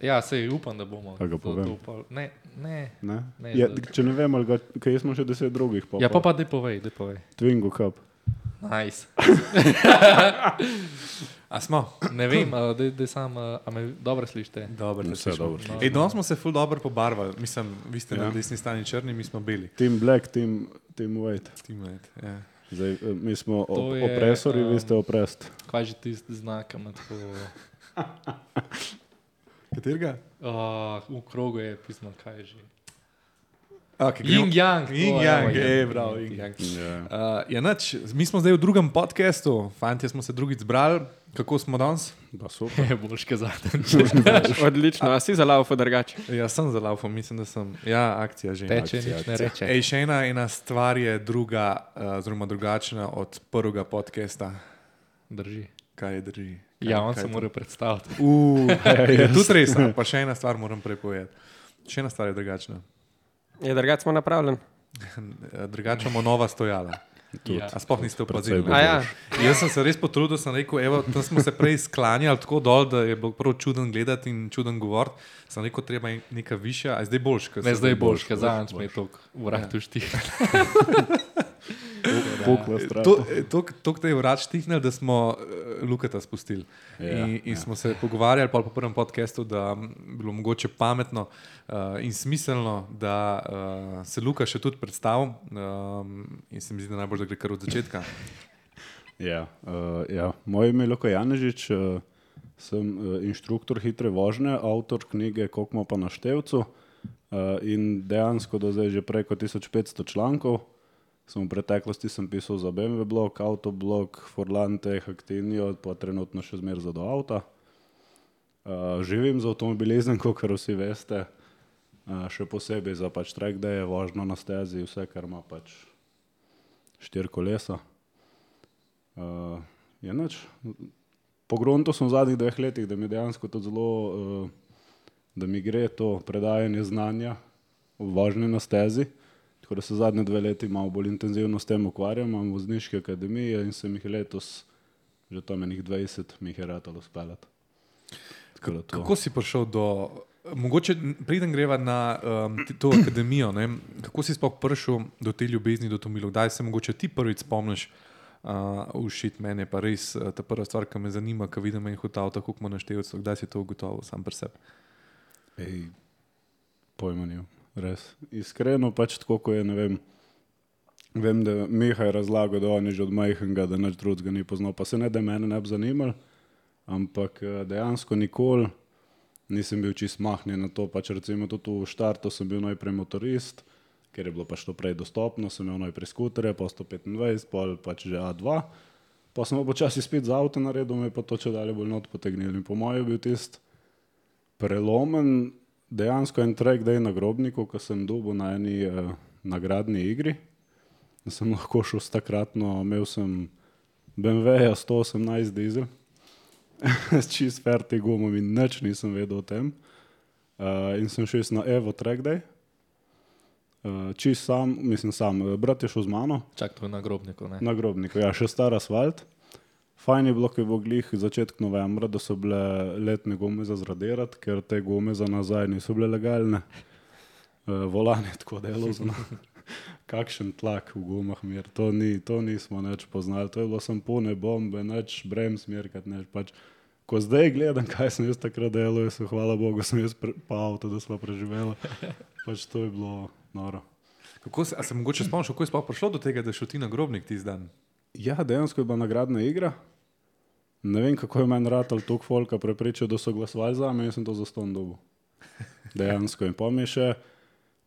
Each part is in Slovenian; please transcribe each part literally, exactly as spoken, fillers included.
Ja, sej upam, da bomo. A ga povem? To, to, ne, ne. Ne? ne Ja, da- če ne vem, ali ga, kaj smo še deset drugih. Pa, ja, pa pa dej povej, dej povej. Twingo Cup. Nice. A smo? Ne vem, uh, dej, dej sam, uh, a me dobro slišite? Dobro, Vse da dobro slišimo. Ej, danes smo se ful dobro pobarvali. Mislim, vi ste Ja. na desni strani črni, mi smo beli. Team Black, Team, team White. Teammate, ja. Zdaj, eh, mi smo op To je, opresori, um, vi ste oprest. Kaj že tisti znak, ima tako... Katerega? Uh, v krogu je pismo, kaj je že. Okay, Yin Yang. Yin Yang, ej, bravo, Yin Yang. Ja. Uh, ja, nač, mi smo zdaj v drugem podcastu, fantje smo se drugič zbrali. Kako smo danes? Pa super. Je boljš kazatelj. Odlično, a si za laufo drugače? Ja, sem za laufom, mislim, da sem. Ja, akcija že. Teče, Akcija, nič ne akcija. reče. Ej, še ena, ena stvar je druga, uh, oziroma drugačna od prvega podcasta. Drži. Kaj je drži? Kaj, Ja, on kaj se to? mora predstaviti. Uh, je tudi res, pa še ena stvar moram prepovedati. Še ena stvar je drugačna. Je drugače smo napravljen? Drugače imamo nova stojala. Ja. A sploh niste opazili? Precej ne? A ja, Jaz sem se res potrudil, sem rekel, evo, tam smo se prej sklanjali tako dol, da je bilo prav čuden gledati in čuden govoriti. Sem rekel, treba je neka višja, a je zdaj boljš. ko Ne, se- zdaj je boljš, ker zadnjič me je toliko vratu štih. Pukla strata. To- tok- Tok te je vrat štihnil, da smo uh, Lukata spustili. Ja, in in ja. smo se pogovarjali pol po prvem podcastu, da bi bilo mogoče pametno uh, in smiselno, da uh, se Luka še tudi predstavi. Um, in se mi zdi, da najbolj, da gre kar od začetka. Ja, uh, ja. Moje ime je Luka Janežič, uh, sem uh, inštruktor hitre vožnje, avtor knjige Kokmo pa na števcu uh, in dejansko do zdaj že preko tisoč petsto člankov. Sem v preteklosti sem pisal za B M W blog, Autoblog, Forlante, Actinio, pa trenutno še zmer za do avta. Uh, živim z avtomobilizmom, kot vsi veste, uh, še posebej za pač track day, vožnjo na stezi, vse, kar ima pač štiri kolesa. Uh, je nič. Pogrunto sem v zadnjih dveh letih, da mi dejansko to zelo, uh, da mi gre to predajanje znanja v vožnji na stezi. Tako da se zadnje dve leti malo bolj intenzivno s tem ukvarjam, imam vozniške akademije in sem jih letos, že tam enih dvajset, mi jih je ratalo speljati. Tako da to- Kako si prišel do, mogoče preden greva na um, ti- to akademijo, ne? Kako si sploh prišel do te ljubezni, do Tomilov? Kdaj se mogoče ti prvič spomniš, uh, ušit mene, pa res uh, ta prva stvar, ki me zanima, ko vidim en hotel, tako kot na števcu, kdaj si to ugotovil sam pri sebi? Ej, pojma nimam, res. Iskreno pač tako, ko je, ne vem, vem, da Miha je razlagal, da on je že od majhnega, da nič drugega ni poznal, pa se ne, da mene ne bi zanimal, ampak eh, dejansko nikoli nisem bil čist mahnjen na to, pač recimo tudi v štartu sem bil najprej motorist, ker je bilo pač to prej dostopno, sem imel najprej skuterje, pa sto petindvajset, pol pač že A dva, pa sem počasi spet za avto naredil, me je pa to če dalje bolj not potegnili in po mojem je bil tist prelomen, dejansko en track day na Grobniku, ko sem dobil na eni eh, nagradni igri. Da sem lahko šel s takratno, imel sem B M W-ja sto osemnajst dizel, s čist ferti gumom in nič nisem vedel o tem. Uh, in sem šel na Evo track day. Uh, čist sam, mislim sam, eh, brat je šel z mano. Čak, to je na grobniku, ne? Na Grobniku, ja, še star asfalt. Fajn je bilo, ko je bilo glih začetek novembra, da so bile letne gume za zradirati, ker te gume za nazaj niso bile legalne. Uh, volan je tako delal za nas. Kakšen tlak v gumah mir, to, ni, to nismo nič poznali, to je bilo sem pune bombe, nič brem smerkat, nič pač. Ko zdaj gledam, kaj sem jaz takrat delal, jaz sem, hvala Bogu, sem jaz pre, pa avto, da smo preživeli. Pač to je bilo noro. Kako se, a se mogoče spomniš, kako je sploh prišlo do tega, da šel ti na Grobnik tisti dan? Ja, dejansko je bila nagradna igra. Ne vem, kako je meni ratal toliko folka prepričal, da so glasovali za me in sem to zastonj dobil. Dejansko. In pa mi je še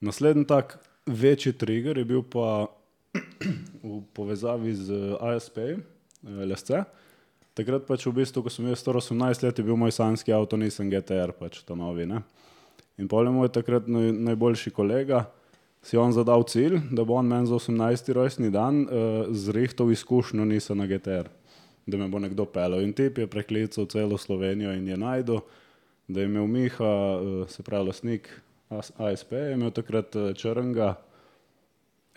naslednji tak večji trigger je bil pa v povezavi z A S P, L S C. Takrat pač v bistvu, ko sem jaz star osemnajst let, je bil moj sanjski avto Nissan G T R, pač ta novi, ne. In pol je moj takrat naj, najboljši kolega, si on zadal cilj, da bo on meni za osemnajsti rojstni dan uh, zrihtal izkušnjo Nissana G T R, da me bo nekdo peljal. In tip je preklical celo Slovenijo in je najdel, da je imel Miha, uh, se pravi lastnik A S P, je imel takrat uh, črnga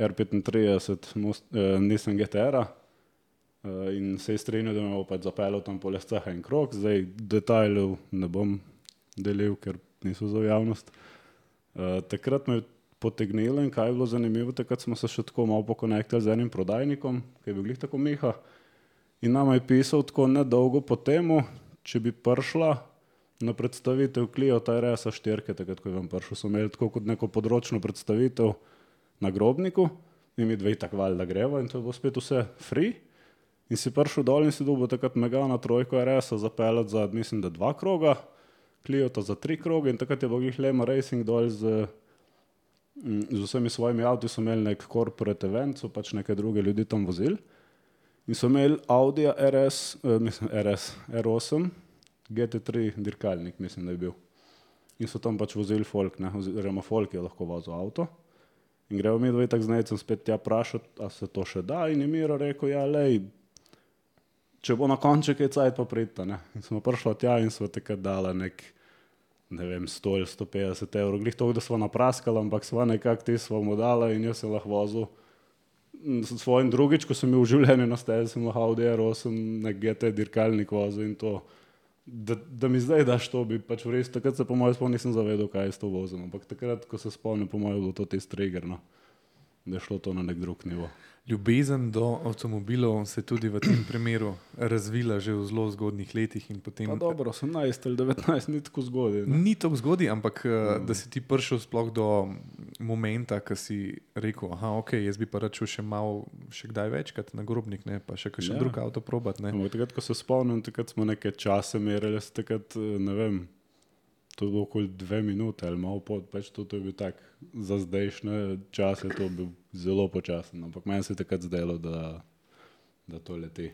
R petintrideset most, uh, Nissan G T R-a uh, in se je strinjal, da me bo pač zapeljal tam po lescah en krog. Zdaj detajlov ne bom delil, ker niso za javnost. Uh, takrat me je potegnilo in kaj je bilo zanimivo, takrat smo se še tako malo pokonektali z enim prodajnikom, ki je bil glih tako Miha, in nama je pisal tako nedolgo po temu, če bi prišla na predstavitev Clio R S štiri, takrat, ko je vam prišel, so imeli tako kot neko področno predstavitev na Grobniku in mi dve tak valjda greva in to je bilo spet vse free. In si prišel dol in si dobil takrat Megana trojko R S-a zapeljati za, mislim, da dva kroga, Cliota za tri kroge in takrat je bil glih Lema Racing dol z, z vsemi svojimi avti, so imeli nek corporate event, so pač neke druge ljudi tam vozili. In so imeli Audi R S, eh, mislim, R S, R osem, G T tri dirkalnik, mislim, da je bil. In so tam pač vozili folk, ne, oziroma folk je lahko vozil avto. In gremo mi dve tak znajcem spet tja prašati, a se to še da, in je Miro rekel, ja, lej, če bo na konček je cajt pa pridta, ne. In smo prišli tja in smo takrat dala nek, ne vem, sto ali sto petdeset evrov, glih toliko, da smo napraskali, ampak sva nekak ti smo mu dala in jaz se lahko vozil. S svojim drugič, ko sem bil v življenju na stezi, sem lahko Audi R osem, nek G T dirkalnik vozil in to, da, da mi zdaj daš to, bi pač v res, takrat se po mojem spomnim nisem zavedal, kaj je s to vozil, ampak takrat, ko se spomnim, po mojem bilo to tisti trigger, no, da je šlo to na nek drug nivo. Ljubezen do avtomobilov se tudi v tem primeru razvila že v zelo zgodnih letih. In potem, pa dobro, osemnajst ali devetnajst, ni tako zgodaj. Ni tako zgodaj, ampak mm. da si ti prišel sploh do momenta, ko si rekel, aha, ok, jaz bi pa račel še malo, še kdaj večkrat na Grobnik, ne, pa še kakšen ja. drug avto probat. Ne. Ampak takrat, ko se spomnim, takrat smo neke čase merili, takrat, ne vem, to je bilo okoli dve minute ali malo pod, pač to, to je bil tak, za zdajšnje čase to bil zelo počasen, ampak meni se je takrat zdelo, da, da to leti.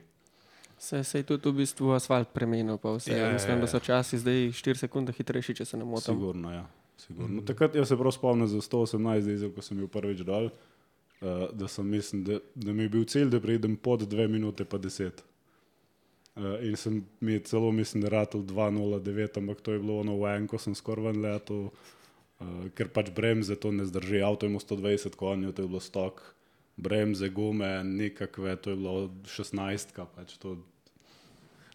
Se, se je tudi v bistvu asfalt premenil, pa vse. Ja, Mislim, ja, ja. da so časi zdaj štiri sekunde hitrejši, če se ne motim. Sigurno, ja. Sigurno. Mm. Takrat jaz se prav spomnim za sto osemnajst dizel, ko sem bil prvič dol, uh, da sem mislim, da, da mi je bil cilj, da pridem pod dve minute pa deset. Uh, in sem mi je celo, mislim, da ratel dva nula devet, ampak to je bilo ono v enko, sem skoraj ven letel, uh, ker pač bremze to ne zdrži, avto je imel sto dvajset konjev, to je bilo stok, bremze, gume, nikakve, to je bilo šestnajstka, pač to.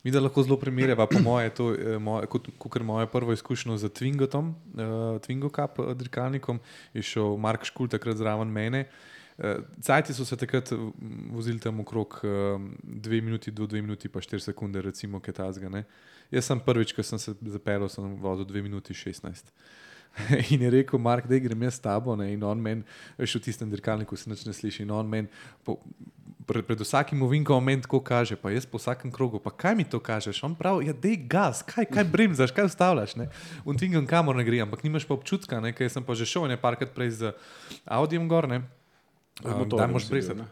Mi da lahko zelo primerjava, po moje, to, moje, kot, kot moje prvo izkušnjo z Twingotom, uh, Twingo Cup dirkalnikom, je šel Mark Škul takrat zraven mene. Uh, Cajti so se takrat vozili tam okrog uh, dve minuti do dve minuti pa štiri sekunde, recimo, kaj tazga, ne. Jaz sem prvič, ko sem se zapeljal, sem vozil dve minuti šestnajst. In je rekel, Mark, da grem jaz s tabo, ne, in on meni, še v tistem dirkalniku se nič ne sliši, in on meni, pred, pred vsakim ovinkom meni tako kaže, pa jaz po vsakem krogu, pa kaj mi to kažeš? On pravi, ja, dej gas, kaj, kaj bremzaš, kaj ustavljaš, ne? On tvingam kamor ne gre, ampak nimaš pa občutka, ne, ker sem pa že šel ne parkrat prej z Audijem gor, ne? Um, da moraš brezati.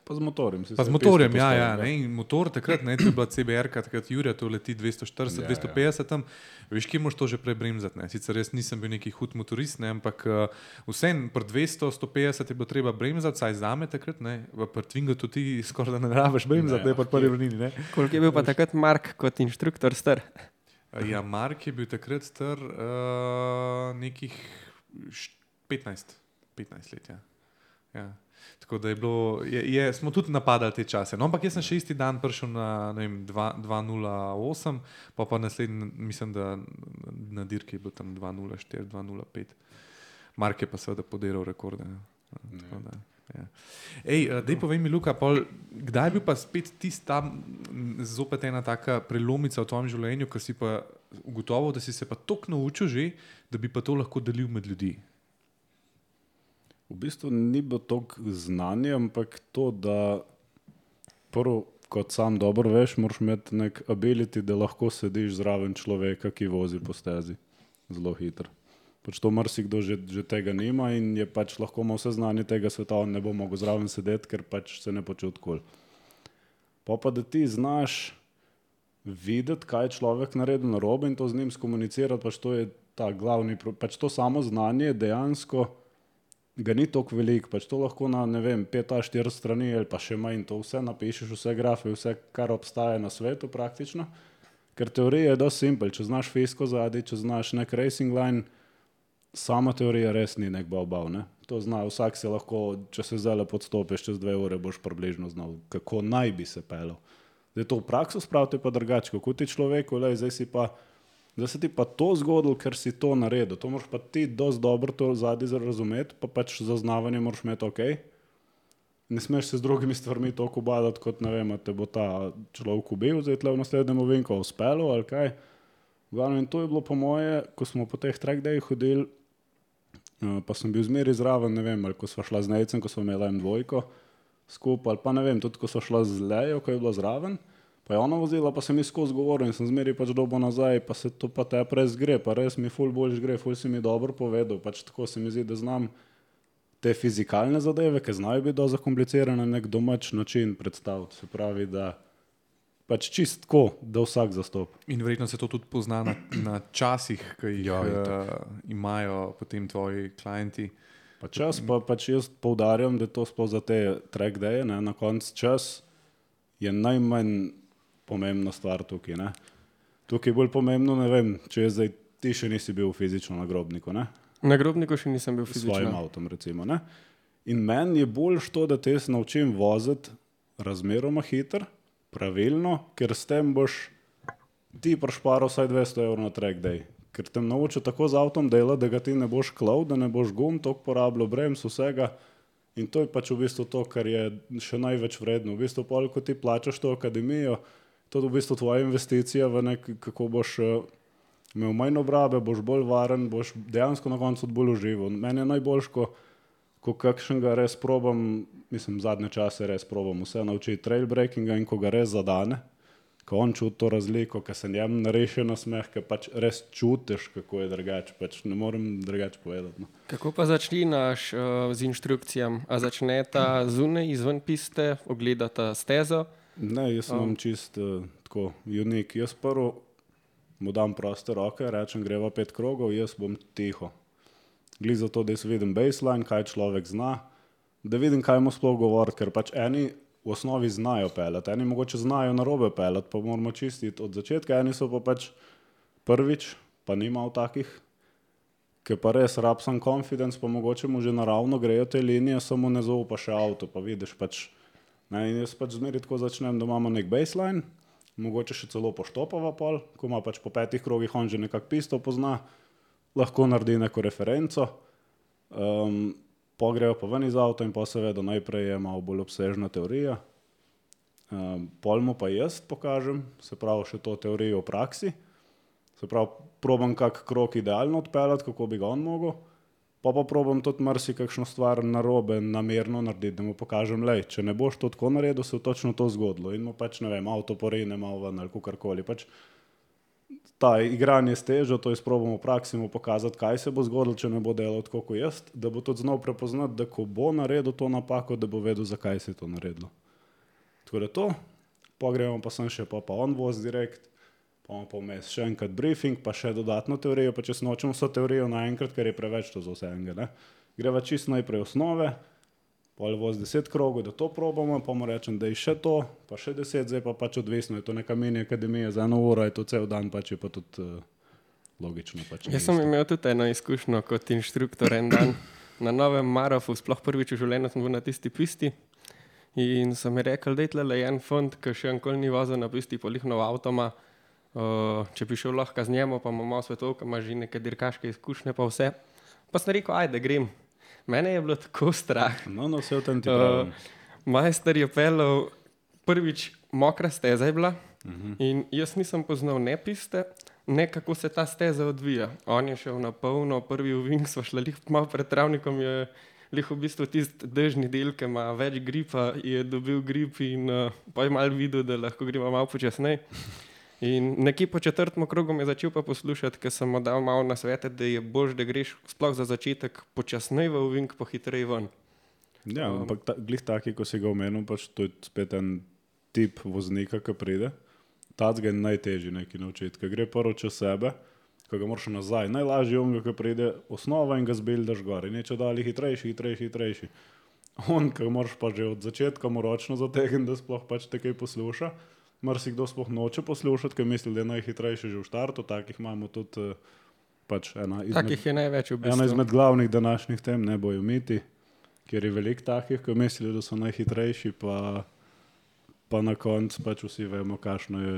Pa z motorjem. Pa z motorjem, ja, ja, ne, in motor takrat, ne, to je bila C B R-ka, takrat Jurija, to leti dvesto štirideset, dvesto petdeset tam, veš, kje moraš to že prej bremzati, ne, sicer res nisem bil neki hud motorist, ne, ampak uh, vsem pri dvesto, sto petdeset je bilo treba bremzati, saj zame takrat, ne, pri Twingotu ti skoraj da ne rabiš bremzati, ne, ne pa prvi vrnini, ne. Koliko je bil pa takrat Mark kot inštruktor star? Ja, Mark je bil takrat star uh, nekih petnajst, petnajst let, ja. Ja. Tako da je bilo, je, je, smo tudi napadali te čase. No, ampak jaz sem še isti dan prišel na, ne vem, dva nula osem, pa pa naslednji, mislim, da na dirki je bilo tam dva nula štiri, dva nula pet. Mark je pa seveda podiral rekorde. Tako da, ja. Ej, dej povej mi, Luka, pol, kdaj je bil pa spet tist tam zopet ena taka prelomica v tvojem življenju, ko si pa ugotovil, da si se pa toliko naučil že, da bi pa to lahko delil med ljudi? V bistvu ni bilo toliko znanja, ampak to, da prvo, kot sam dobro veš, moraš imeti nek ability, da lahko sediš zraven človeka, ki vozi po stezi zelo hitro. Pač to marsikdo že, že tega nima in je pač lahko ima vse znanje tega sveta, on ne bo mogel zraven sedeti, ker pač se ne počuti kul. Pa pa da ti znaš videti, kaj je človek naredil narobe in to z njim skomunicirati, pač to je ta glavni, pač to samo znanje dejansko ga ni toliko veliko, pač to lahko na, ne vem, pet a štiri strani ali pa še manj, to vse napišeš, vse grafe, vse, kar obstaja na svetu praktično, ker teorija je dosti simpel, če znaš fisko zadaj, če znaš nek racing line, sama teorija res ni nek bav-bav, ne. To zna, vsak se lahko, če se zdaj podstopiš, čez dve ure boš približno znal, kako naj bi se pelil. Zdaj to v prakso spravite pa drugače, kako ti človeku, lej, zdaj si pa da se ti pa to zgodilo, ker si to naredil. To moraš pa ti dosti dobro to zadnji razumeti, pa pač zaznavanje moraš imeti ok. Ne smeš se z drugimi stvarmi toliko ubadati, kot ne vem, te bo ta človek ubil, zdaj tle v naslednjem ovinku uspelo ali kaj. Glavno, in to je bilo po moje, ko smo po teh track dayih hodili, uh, pa sem bil zmeri zraven, ne vem, ali ko sva šla z Nejcem, ko sva imela em dvojko skupaj, ali pa ne vem, tudi ko sva šla z Lejo, ko je bila zraven, pa je ona vozila, pa sem mi skozi govoril in sem zmeri pač dobo nazaj, pa se to pa te res gre, pa res mi ful boljš gre, ful si mi dobro povedal, pač tako se mi zdi, da znam te fizikalne zadeve, ki znajo biti dosti zakomplicirane, na nek domač način predstaviti. Se pravi, da pač čist tako, da vsak zastop. In verjetno se to tudi pozna na, na časih, ki jih Ja, uh, imajo potem tvoji klienti. Pa čas, pa pač jaz poudarjam, da je to sploh za te track daye, ne, na koncu čas je najmanj pomembna stvar tukaj, ne. Tukaj je bolj pomembno, ne vem, če je zdaj, ti še nisi bil fizično na grobniku, ne. Na grobniku še nisem bil S svojim fizično. avtom, recimo, ne. In meni je boljš to, da te se naučim voziti razmeroma hiter, pravilno, ker s tem boš ti prišparal vsaj dvesto evrov na track day. Ker te naučil tako z avtom delati, da ga ti ne boš klal, da ne boš gum toliko porabljal, brems, vsega. In to je pač v bistvu to, kar je še največ vredno. V bistvu pol, ko ti plačaš to akademijo, to je v bistvu tvoja investicija v nek, kako boš uh, imel manj obrabe, boš bolj varen, boš dejansko na koncu bolj užival. Meni je najboljš, ko, ko kakšnega res probam, mislim, zadnje čase res probam vse naučiti trailbreakinga in ko ga res zadane, ko on čuti to razliko, ko se njem nareši na smeh, ko pač res čutiš, kako je drugače, pač ne morem drugače povedati. No. Kako pa začneš uh, z inštrukcijami? A začneta zunaj, izven piste, ogledata stezo? Ne, jaz sem um. čist uh, tako unik. Jaz prvo mu dam proste roke, rečem, greva pet krogov, jaz bom tiho. Gli za to, da jaz vidim baseline, kaj človek zna, da vidim, kaj mu sploh govoriti, ker pač eni v osnovi znajo peljati, eni mogoče znajo narobe peljati, pa moramo čistiti od začetka, eni so pa pač prvič, pa nima v takih, ki pa res rab sem confidence, pa mogoče mu že naravno grejo te linije, samo ne zaupa še avto, pa vidiš pač, ne, in jaz pač zmeri tako začnem, da imamo nek baseline, mogoče še celo poštopava pol, ko ima pač po petih krogih on že nekak pisto pozna, lahko naredi neko referenco, um, pogrejo pa ven iz avta in pa seveda najprej je malo bolj obsežna teorija, um, pol mu pa jaz pokažem, se pravi še to teorijo v praksi, se pravi probam kak krog idealno odpeljati, kako bi ga on mogel, pa pa probam tudi marsi kakšno stvar narobe namerno narediti, da mu pokažem, lej, če ne boš to tako naredil, se je točno to zgodilo in mu pač, ne vem, avto porine malo ven ali kakorkoli, pač ta igranje s težo, to jaz probam v praksi mu pokazati, kaj se bo zgodilo, če ne bo delal tako kot jaz, da bo tudi znal prepoznati, da ko bo naredil to napako, da bo vedel, zakaj se je to naredilo. Tako da to, pogremo pa sem še, pa pa on voz direkt, pa imamo pa vmes še enkrat briefing, pa še dodatno teorijo, pa če se nočem vso teorijo naenkrat, ker je preveč to za vsega, ne. Greva čisto najprej osnove, pol voz deset krogov, da to probamo, pa mu rečem, da je še to, pa še deset, zdaj pa pač odvisno, je to neka mini akademija za eno uro, je to cel dan, pač je pa tudi uh, logično. Pač Jaz sem imel tudi eno izkušnjo kot inštruktor en dan na novem Marofu, sploh prvič v življenju sem bil na tisti pisti in so mi rekli, da je tle en fant, ki še enkoli ni vozil na pisti, polih nov avtoma, uh, če bi šel lahko z njemu, pa ima malo svetov, ki ima že neke dirkaške izkušnje pa vse. Pa sem rekel, ajde, grem. Mene je bilo tako strah. No, no, vse v tem ti pravim. Uh, majster je peljal, prvič mokra steza je bila uh-huh. in jaz nisem poznal ne piste, ne kako se ta steza odvija. On je šel na polno, prvi ovink, sva šla lih malo pred travnikom, je lih v bistvu tisti dežni del, ki ima več gripa, je dobil grip in uh, pa je malo videl, da lahko gremo malo počasnej. In nekje po četrtem krogu me je začel pa poslušati, ker sem mu dal malo na svete, da je bož, da greš sploh za začetek počasnej v ovink, pa hitrej ven. Ja, um, ampak ta, glih taki, ko si ga omenil, pač to je spet en tip voznika, ki pride. Tacga je najtežji neki naučiti, ker gre prvo čez sebe, ko ga moraš nazaj. Najlažji je on, ki pride osnova in ga zbildaš gor. In je če dali hitrejši, hitrejši, hitrejši. On, ki moraš pa že od začetka mu ročno zategniti, da sploh pač takaj posluša. Marsikdo sploh noče poslušati, ker misli, da je najhitrejši že v štartu, takih imamo tudi pač ena izmed, takih je največ v bistvu. Ena izmed glavnih današnjih tem, ne bojo miti, ker je veliko takih, ki mislijo, da so najhitrejši, pa, pa na koncu pač vsi vemo, kakšno je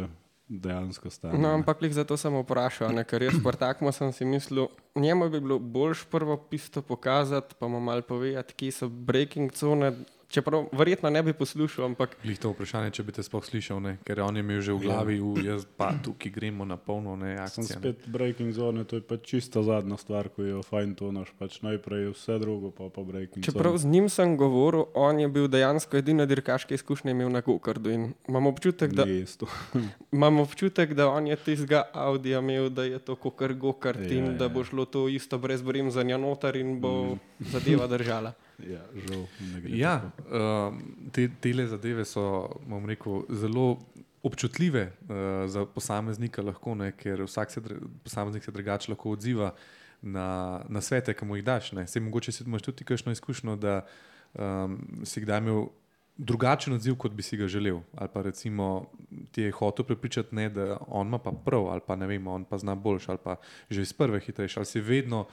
dejansko stane. No, ne. ampak lih zato sem vprašal, ne, ker jaz po takmu sem si mislil, njemu bi bilo boljš prvo pisto pokazati, pa mu malo povedati, kje so breaking cone, čeprav verjetno ne bi poslušal, ampak Glih to vprašanje, če bi te sploh slišal, ne? Ker on je imel že v glavi, u, jaz pa tukaj gremo na polno, ne, Sem akcija. Ne? spet breaking zone, to je pač čista zadnja stvar, ko jo fajn tonaš, pač najprej vse drugo, pa pa breaking čeprav zone. z njim sem govoril, on je bil dejansko edina dirkaška izkušnja imel na gokardu in imam občutek, da, Ni isto. imam občutek, da on je tistega Audija imel, da je to kakor gokart Ja, in da ja. bo šlo to isto brez bremzanja noter in bo zadeva držala. Ja, žal, ne gre Ja, tako. um, te tele zadeve so, bom rekel, zelo občutljive uh, za posameznika lahko, ne, ker vsak se, dr- posameznik se drugače lahko odziva na, na svete, ki mu jih daš. Ne. Sej mogoče si imaš tudi kakšno izkušnjo, da um, si kdaj imel drugačen odziv, kot bi si ga želel. Ali pa recimo ti je hotel prepričati, ne, da on ima pa prav, ali pa ne vem, on pa zna boljš, ali pa že iz prve hitrejši, ali si vedno,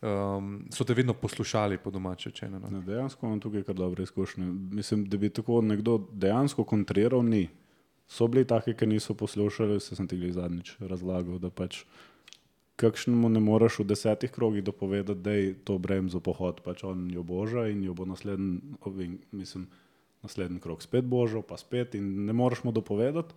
um, so te vedno poslušali po domače rečeno. No. Ne, dejansko imam tukaj kar dobre izkušnje. Mislim, da bi tako nekdo dejansko kontriral, ni. So bili taki, ki niso poslušali, se sem ti glih zadnjič razlagal, da pač kakšnemu ne moreš v desetih krogih dopovedati, da je to bremzo pohod, pač on jo boža in jo bo naslednji, ovin- mislim, naslednji krog spet božal, pa spet in ne moreš mu dopovedati.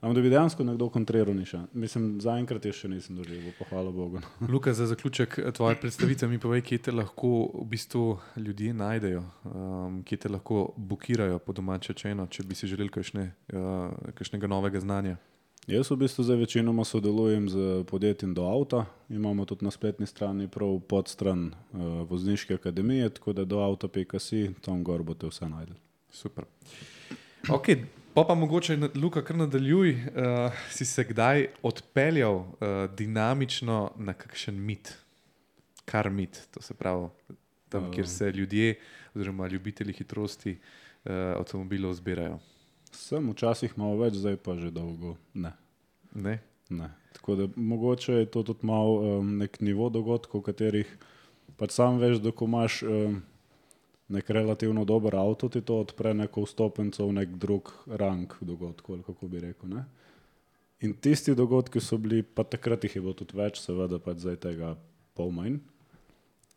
Ampak da bi dejansko nekdo kontriral, ni še. Mislim, zaenkrat je še nisem doživel, pa hvala Bogu. Luka, za zaključek tvoje predstavitve mi povej, kje te lahko v bistvu ljudje najdejo, um, kje te lahko bukirajo po domače rečeno, če bi si želeli kakšne, uh, kakšnega novega znanja. Jaz v bistvu zdaj večinoma sodelujem z podjetjem Do Avta. Imamo tudi na spletni strani prav podstran uh, vozniške akademije, tako da do avta pika si, tam gor boste vse najdeli. Super. Ok, pa pa mogoče, na- Luka, kar nadaljuj, uh, si se kdaj odpeljal uh, dinamično na kakšen mit, kar mit, to se pravi tam, kjer se ljudje oziroma ljubitelji hitrosti uh, avtomobilov zbirajo. Sem včasih malo več, zdaj pa že dolgo ne. Ne? ne. Tako da mogoče je to tudi malo um, nek nivo dogodkov, v katerih pač sam veš, da ko imaš um, nek relativno dober avto, ti to odpre neko vstopenco v nek drug rang dogodkov, ali kako bi rekel. Ne? In tisti dogodki so bili, pa takrat jih je bilo tudi več, seveda pač zdaj tega pol manj.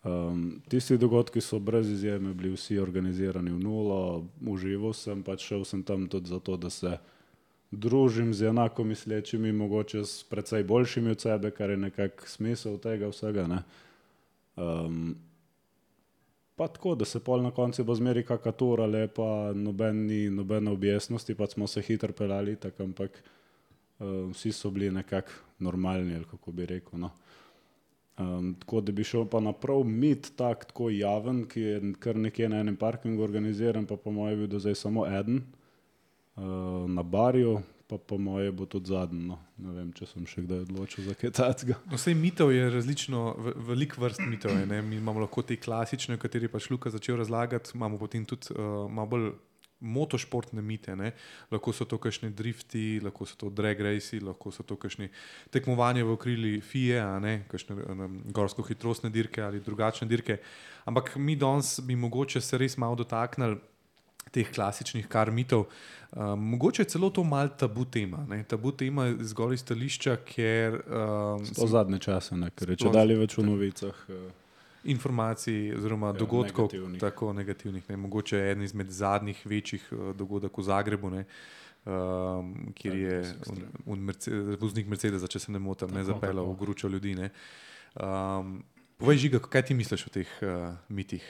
Um, tisti dogodki so brez izjeme bili vsi organizirani v nulo, užival sem, pač šel sem tam tudi zato, da se družim z enako mislečimi, mogoče s precej boljšimi od sebe, kar je nekak smisel tega vsega. Ne? Um, pa tako, da se pol na koncu bo zmeri kaka tura lepa, noben ni nobene objestnosti, pa smo se hitro pelali, tak, ampak um, vsi so bili nekak normalni, ali kako bi rekel. No? Um, tako da bi šel pa naprav mit tak, tako javen, ki je kar nekje na enem parkingu organiziran, pa po moje bil do zdaj samo eden uh, na barju, pa po moje bo tudi zadnji. No. Ne vem, če sem še kdaj odločil za kaj takega. No, sej mitov je različno, ve- veliko vrst mitov je. Ne? Mi imamo lahko te klasične, o kateri pač Luka začel razlagati, imamo potem tudi uh, malo bolj motošportne mite. Ne? Lahko so to kakšni drifti, lahko so to drag raci, lahko so to kakšni tekmovanja v okrili F I E, a ne, kakšne um, gorsko-hitrostne dirke ali drugačne dirke. Ampak mi danes bi mogoče se res malo dotaknili teh klasičnih kar mitov. Um, mogoče je celo to mal tabu tema. Ne? Tabu tema zgolj iz stališča, ker um, To zadnje čase, ne, ker je če Sploh- dalje več v novicah. Uh, informacij oziroma Ja, dogodkov, negativnih. tako negativnih. Ne. Mogoče je eden izmed zadnjih večjih uh, dogodkov v Zagrebu, ne, um, kjer je un, un Merce, voznik Mercedesa, če se ne motim, ne Tako, zapeljal tako. v gručo ljudi. Ne. Um, povej, Žiga, kaj ti misliš o teh uh, mitih?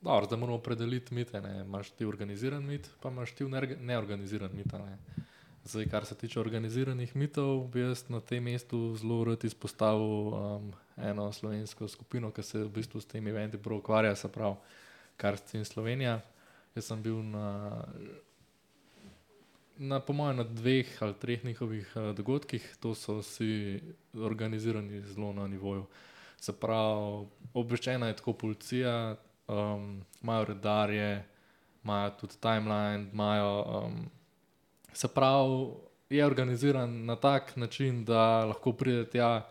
Dobro, zdaj moramo opredeliti mite. Ne. Imaš ti organiziran mit, pa imaš ti neorga- neorganiziran mit. a Ne. Zdaj, kar se tiče organiziranih mitov, bi jaz na tem mestu zelo rad izpostavil um, eno slovensko skupino, ki se v bistvu s tem eventi prav ukvarja, se pravi Karst in Slovenija. Jaz sem bil na, na po mojem, na dveh ali treh njihovih uh, dogodkih, to so vsi organizirani zelo na nivoju. Se pravi, obveščena je tako policija, um, imajo redarje, imajo tudi timeline, imajo, um, se pravi, je organiziran na tak način, da lahko pride tja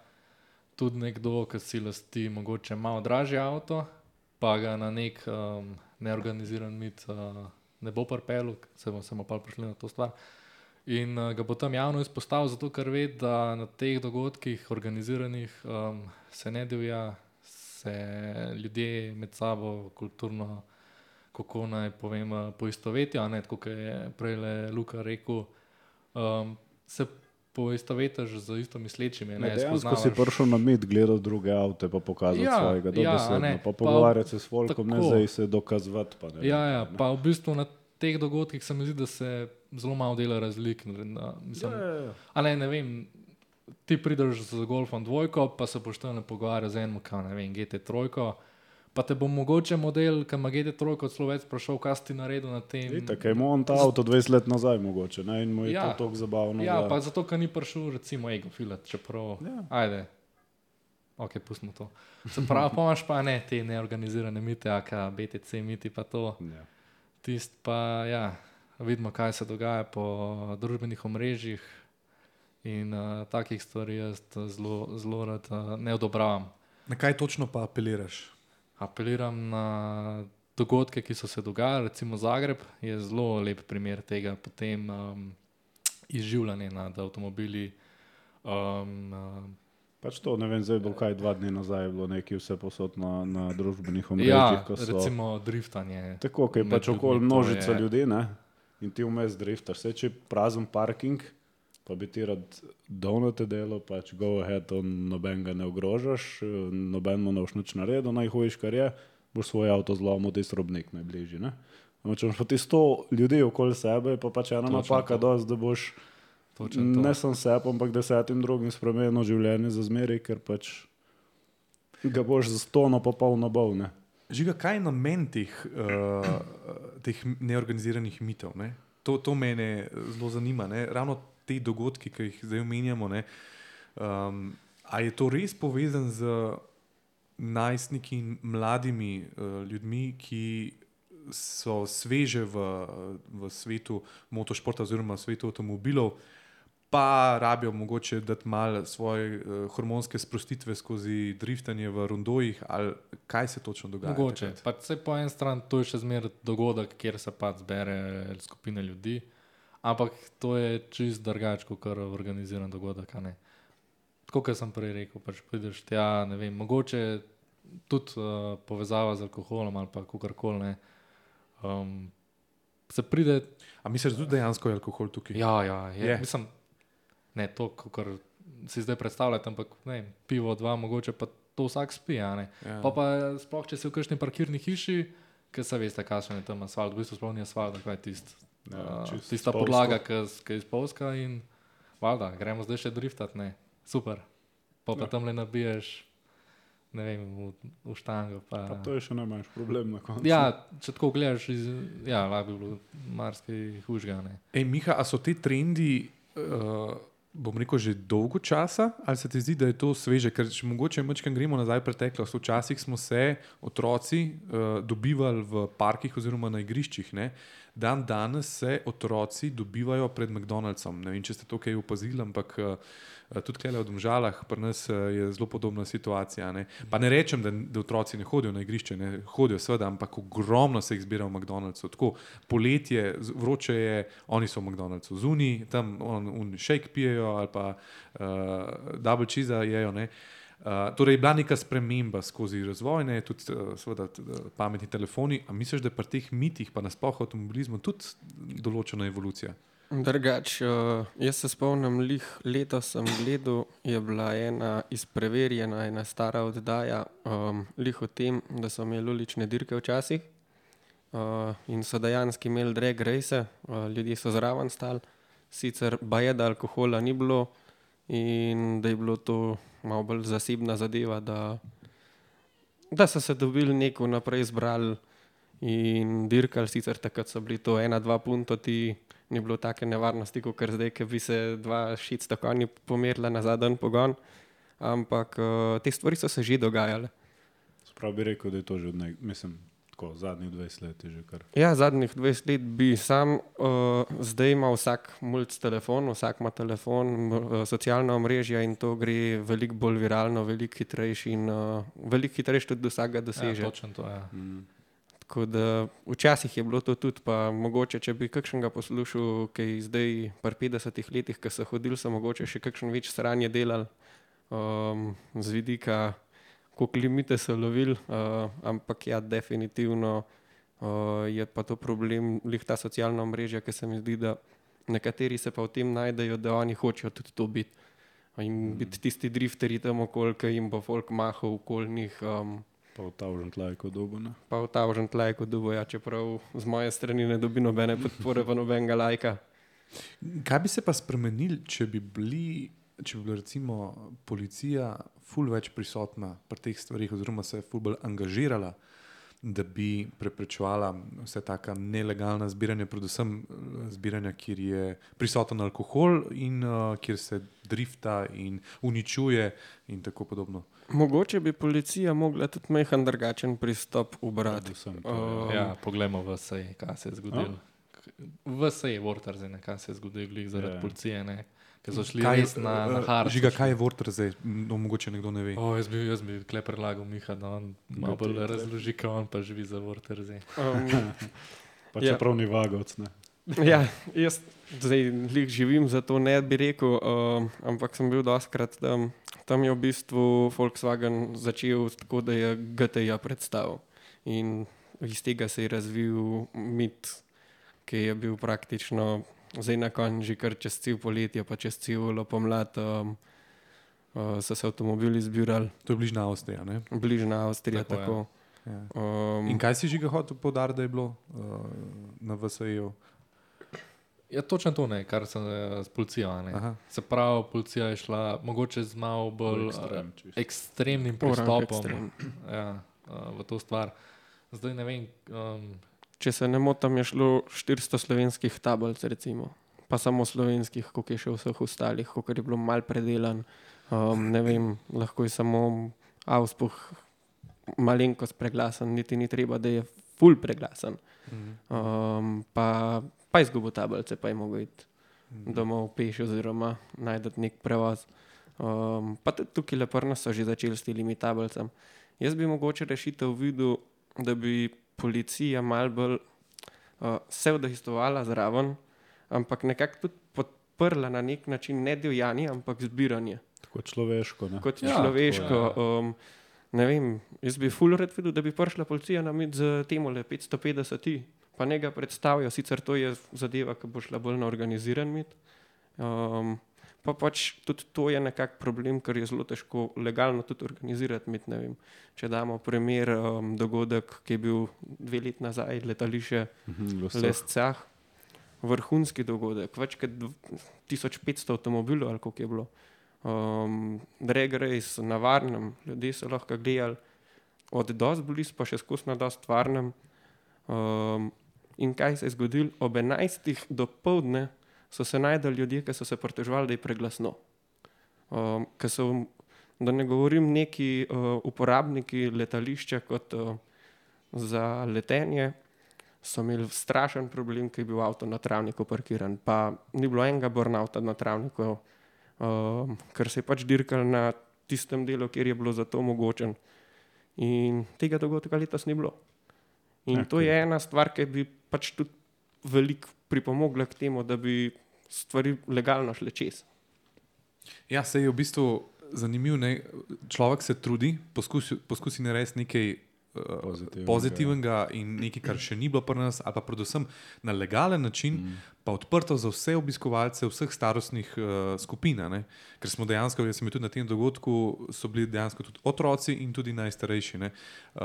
tudi nekdo, ki si lasti mogoče malo dražji avto, pa ga na nek um, neorganiziran mit uh, ne bo pripeljal, se bomo samo pa prišli na to stvar. In uh, ga bo tam javno izpostavil, zato ker ve, da na teh dogodkih, organiziranih, um, se ne divja, se ljudje med sabo kulturno, kako naj povem, poistovetijo, ne, tako kot je prej Luka rekel, um, se poistovetiš z isto mislečimi. Ne, dejansko si prišel na mit, gledal druge avte, pa pokazati ja, svojega dobesedno, ja, pa pogovarjati se s folkom, ne zdaj se dokazovati. Pa, ne, ja, ja, ne. Pa v bistvu na teh dogodkih se mi zdi, da se zelo malo dela razlik. Na, mislim, ja, ja, ja. A ne, ne vem, ti prideš z Golfom dvojko, pa se boš tam pogovarjal z enim, kaj ne vem, G T trojko, pa te bo mogoče model, ki ima G T trojko od slovec prašal, kaj si ti naredil na tem. Tako je imel on ta avto dvajset let nazaj mogoče, ne, in mu je ja, to toliko zabavno. Ja, da... pa zato, ker ni prišel recimo Ego Filat, čeprav, ja. Ajde, ok, pustimo to. Se pravi, pomaš pa ne te neorganizirane mite, aka B T C miti pa to. Ja. Tist pa, ja, vidimo, kaj se dogaja po družbenih omrežjih in uh, takih stvari jaz zelo, zelo rad uh, ne odobravam. Na kaj točno pa apeliraš? Apeliram na dogodke, ki so se dogajali, recimo Zagreb je zelo lep primer tega, potem um, izživljanje nad avtomobili. Um, uh, pač to, ne vem, zdaj bo kaj dva dni nazaj je bilo nekaj vse posod na, na družbenih omrežjih. Ja, recimo driftanje. Tako, ki je pač okoli množica je... ljudi, ne? In ti vmes driftaš. Vse, če je prazen parking, pa bi ti rad donate delo, pač go ahead, on noben ga ne ogrožaš, noben mu ne boš nič naredil, najhojiš, kar je, boš svoj avto zlomil, ti srobnik najbližji, ne? Če imaš pa ti sto ljudi okoli sebe, pa pač ena napaka dost, da boš ne sem sep, ampak desetim drugim spremenil življenje za zmeraj, ker pač ga boš za stono popolno bol, ne? Žiga, kaj je namen teh, uh, teh neorganiziranih mitov? Ne? To, to mene zelo zanima. Ne? Ravno te dogodki, ki jih zdaj omenjamo, ne? Um, a je to res povezan z najstniki in mladimi uh, ljudmi, ki so sveže v, v svetu motošporta oziroma v svetu avtomobilov, pa rabijo mogoče dati malo svoje uh, hormonske sprostitve skozi driftanje v rondojih, ali kaj se točno dogaja? Mogoče. Pa se po eni strani to je še zmeraj dogodek, kjer se pa zbere skupina ljudi, ampak to je čist drugače, kot organiziran dogodek, a ne. Tako, kot sem prej rekel, pač prideš tja, ne vem, mogoče tudi uh, povezava z alkoholom ali pa kakorkoli, ne. Um, se pride... A misliš, da tudi dejansko je alkohol tukaj? Ja, ja, je. je. Mislim, ne to, kar si zdaj predstavljate, ampak ne, pivo, dva, mogoče pa to vsak spije, a ne. Ja. Pa pa sploh, če si v kakšni parkirni hiši, ker se veste, kakšen je tam asfalt, v bistvu sploh ni asfalt, kaj je tist, ja, uh, tista podlaga, ki je spolska in valjda, gremo zdaj še driftat, ne, super. Pa pa ja. Tam le nabiješ, ne vem, v, v štango. Pa... pa to je še najmanjši problem na koncu. Ja, če tako gledaš, iz, ja, lahko bi bilo marsikaj hujšega, ne. Ej, Miha, a so ti trendi... Uh... bom rekel, že dolgo časa, ali se ti zdi, da je to sveže? Ker če mogoče mačkam gremo nazaj v preteklost, včasih smo se otroci uh, dobivali v parkih oziroma na igriščih, ne? Dan danes se otroci dobivajo pred McDonald'som. Ne vem, če ste to kaj opazili, ampak uh, tudi tukaj v Domžalah pri nas uh, je zelo podobna situacija. Ne? Pa ne rečem, da, da otroci ne hodijo na igrišče, ne hodijo seveda, ampak ogromno se jih zbira v McDonald'su. Tako poletje, vroče je, oni so v McDonald'su zunaj, tam on, on shake pijejo ali pa uh, double cheese jejo, ne. Uh, torej je bila neka sprememba skozi razvoj, ne, tudi uh, seveda uh, pametni telefoni. A misliš, da je pri teh mitih, pa nasploh avtomobilizmu tudi določena evolucija? Drugač, uh, jaz se spomnim, lih letos sem gledal, je bila ena izpreverjena, ena stara oddaja, um, lih o tem, da so imeli ulične dirke včasih uh, in so dejansko imeli drag race, uh, ljudje so zraven stali, sicer baje, da alkohola ni bilo in da je bilo to malo bolj zasebna zadeva, da, da so se dobili neko naprej zbrali in dirkali, sicer takrat so bili to ena, dva punto, ti ni bilo take nevarnosti, kot zdaj, ker bi se dva šeststo konji pomerila na zadnji pogon, ampak uh, te stvari so se že dogajale. Sprav bi rekel, da je to že od nek, mislim, tako, zadnjih dvajset let je že kar. Ja, zadnjih dvajset let bi sam, uh, zdaj ima vsak mulc telefon, vsak ima telefon, uh, socialna omrežja in to gre veliko bolj viralno, veliko hitrejši in uh, veliko hitrejši tudi do vsakega doseže. Ja, točno to, ja. Mm. Tako da včasih je bilo to tudi, pa mogoče, če bi kakšnega poslušal, ki je zdaj pri petdesetih letih, ki so hodili, so mogoče še kakšen več sranje delali um, z vidika, koliko limite so lovili, uh, ampak ja, definitivno uh, je pa to problem, lih ta socialna omrežja, ki se mi zdi, da nekateri se pa v tem najdejo, da oni hočejo tudi to biti. In biti tisti drifterji tam okoli, ki jim bo folk mahal okoli njih. Um, Pa v tavžen tlajko dobo, ne? pa v tavžen tlajko dobo, ja, čeprav z moje strani ne dobi nobene podpore, pa nobenega lajka. Kaj bi se pa spremenili, če bi bili, če bi bila recimo policija ful več prisotna pri teh stvarih oziroma se je ful bolj angažirala, da bi preprečevala vse taka nelegalna zbiranja, predvsem zbiranja, kjer je prisoten alkohol in uh, kjer se drifta in uničuje in tako podobno. Mogoče bi policija mogla tudi majhen drugačen pristop ubrati. Predvsem to, Um, Ja, poglejmo v sej, kaj se je zgodilo. V sej je Vortarzene, kaj se je zgodilo glih zaradi Ja. policije, ne? Ker so šli Kaj, res na, na uh, hard. Žiga, kaj je Vorter zdaj? No, mogoče nekdo ne ve. O, jaz bi, jaz bi kle predlagal Miha, da on malo bolj razloži, kaj on pa živi za Vortarze. um, Pa Ja. čeprav ni vagovc, ne? ja, jaz zdaj lih živim, zato ne bi rekel, um, ampak sem bil dostkrat tam. Tam je v bistvu Volkswagen začel tako, da je G T I predstavil. In iz tega se je razvil mit, ki je bil praktično zdaj na koncu že kar čez cel poletje, pa čez celo pomlad um, uh, so se avtomobili zbirali, To je bližnja Avstrija, ne? bližna Avstrija. Tako je. Tako, Ja. um, In kaj si Žiga hotel poudariti, da je bilo uh, na V S E-ju? Ja, točno to ne, kar sem eh, s policijo. a Ne. Aha. Se pravi, policija je šla mogoče z malo bolj ekstrem, eh, čisto. ekstremnim Orang pristopom ekstrem. ja, eh, v to stvar. Zdaj ne vem, um, Če se ne motim, je šlo štiristo slovenskih tablic, recimo. Pa samo slovenskih, koliko je še vseh ostalih, koliko je bilo mal predelan. Um, ne vem, lahko je samo avspuh malenkost preglasen, niti ni treba, da je ful preglasen. Um, pa, pa izgubo tablice, pa je mogel iti domov peš oziroma najti nek prevoz. Um, pa tudi tukaj leprno so že začeli s temi tablicami. Jaz bi mogoče rešitev videl, da bi policija malo bolj uh, se vdejstvovala zraven, ampak nekako tudi podprla na nek način ne divjanje, ampak zbiranje. Tako človeško, ne? Kot Ja, človeško. tako Um, ne vem, jaz bi ful rad videl, da bi prišla policija na mit z temole petsto petdeset, pa ne ga predstavijo, sicer to je zadeva, ki bo šla bolj na organiziran mit. Um, pa pač tudi to je nekak problem, ker je zelo težko legalno tudi organizirati mit, ne vem. Če damo primer um, dogodek, ki je bil dve let nazaj, letališče Mhm, v vseh. Lescah, vrhunski dogodek, več kot dv- tisoč petsto avtomobilov, ali koliko je bilo. Um, drag race na varnem, ljudje so lahko gledali od dosti blizu, pa še skozi na dosti varnem. Um, in kaj se je zgodilo? Ob enajstih do povdne so se najdeli ljudje, ki so se pritoževali, da je preglasno. Um, ker so, da ne govorim, neki uh, uporabniki letališča kot uh, za letenje, so imeli strašen problem, ker je bil avto na travniku parkiran. Pa ni bilo enega burnouta na travniku, um, ker se je pač dirkal na tistem delu, kjer je bilo za to omogočen. In tega dogodka letos ni bilo. In Ja, to je ena stvar, ki bi pač tudi veliko pripomogla k temu, da bi stvari legalno šle čez. Ja, se je v bistvu zanimivo. Človek se trudi, poskusi, poskusi narediti nekaj uh, Pozitivnega. pozitivnega in nekaj, kar še ni bilo pri nas, ali pa predvsem na legalen način, mm. pa odprto za vse obiskovalce vseh starostnih uh, skupin. a ne. Ker smo dejansko, jaz sem bil tudi na tem dogodku, so bili dejansko tudi otroci in tudi najstarejši. ne. Uh,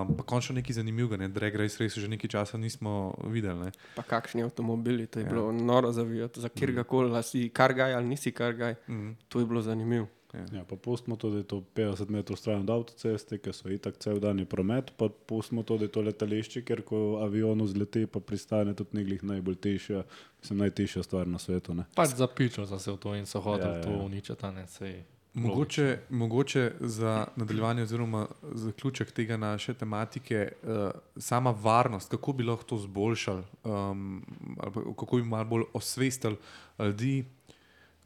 pa končno nekaj zanimivega, ne. Drag race res že nekaj časa nismo videli. Ne. Pa kakšni avtomobili, to je Ja. ja. bilo noro zavijati, za kjer koli, ali si kargaj ali nisi kargaj, Mm. to je bilo zanimivo. Ja, pa pustimo to, da je to petdeset metrov stran od avtoceste, ker so itak cel dan je promet, pa pustimo to, da je to letališče, ker ko avion vzleti, pa pristane tudi neglih najbolj tišja, mislim, najtišja stvar na svetu. Ne? pač zapičal sem se v to in so hoteli Ja, ja, to ja. uničiti, a ne sej. Mogoče, mogoče za nadaljevanje oziroma zaključek tega naše tematike, uh, sama varnost, kako bi lahko to zboljšali, um, ali pa kako bi malo bolj osvestili ljudi,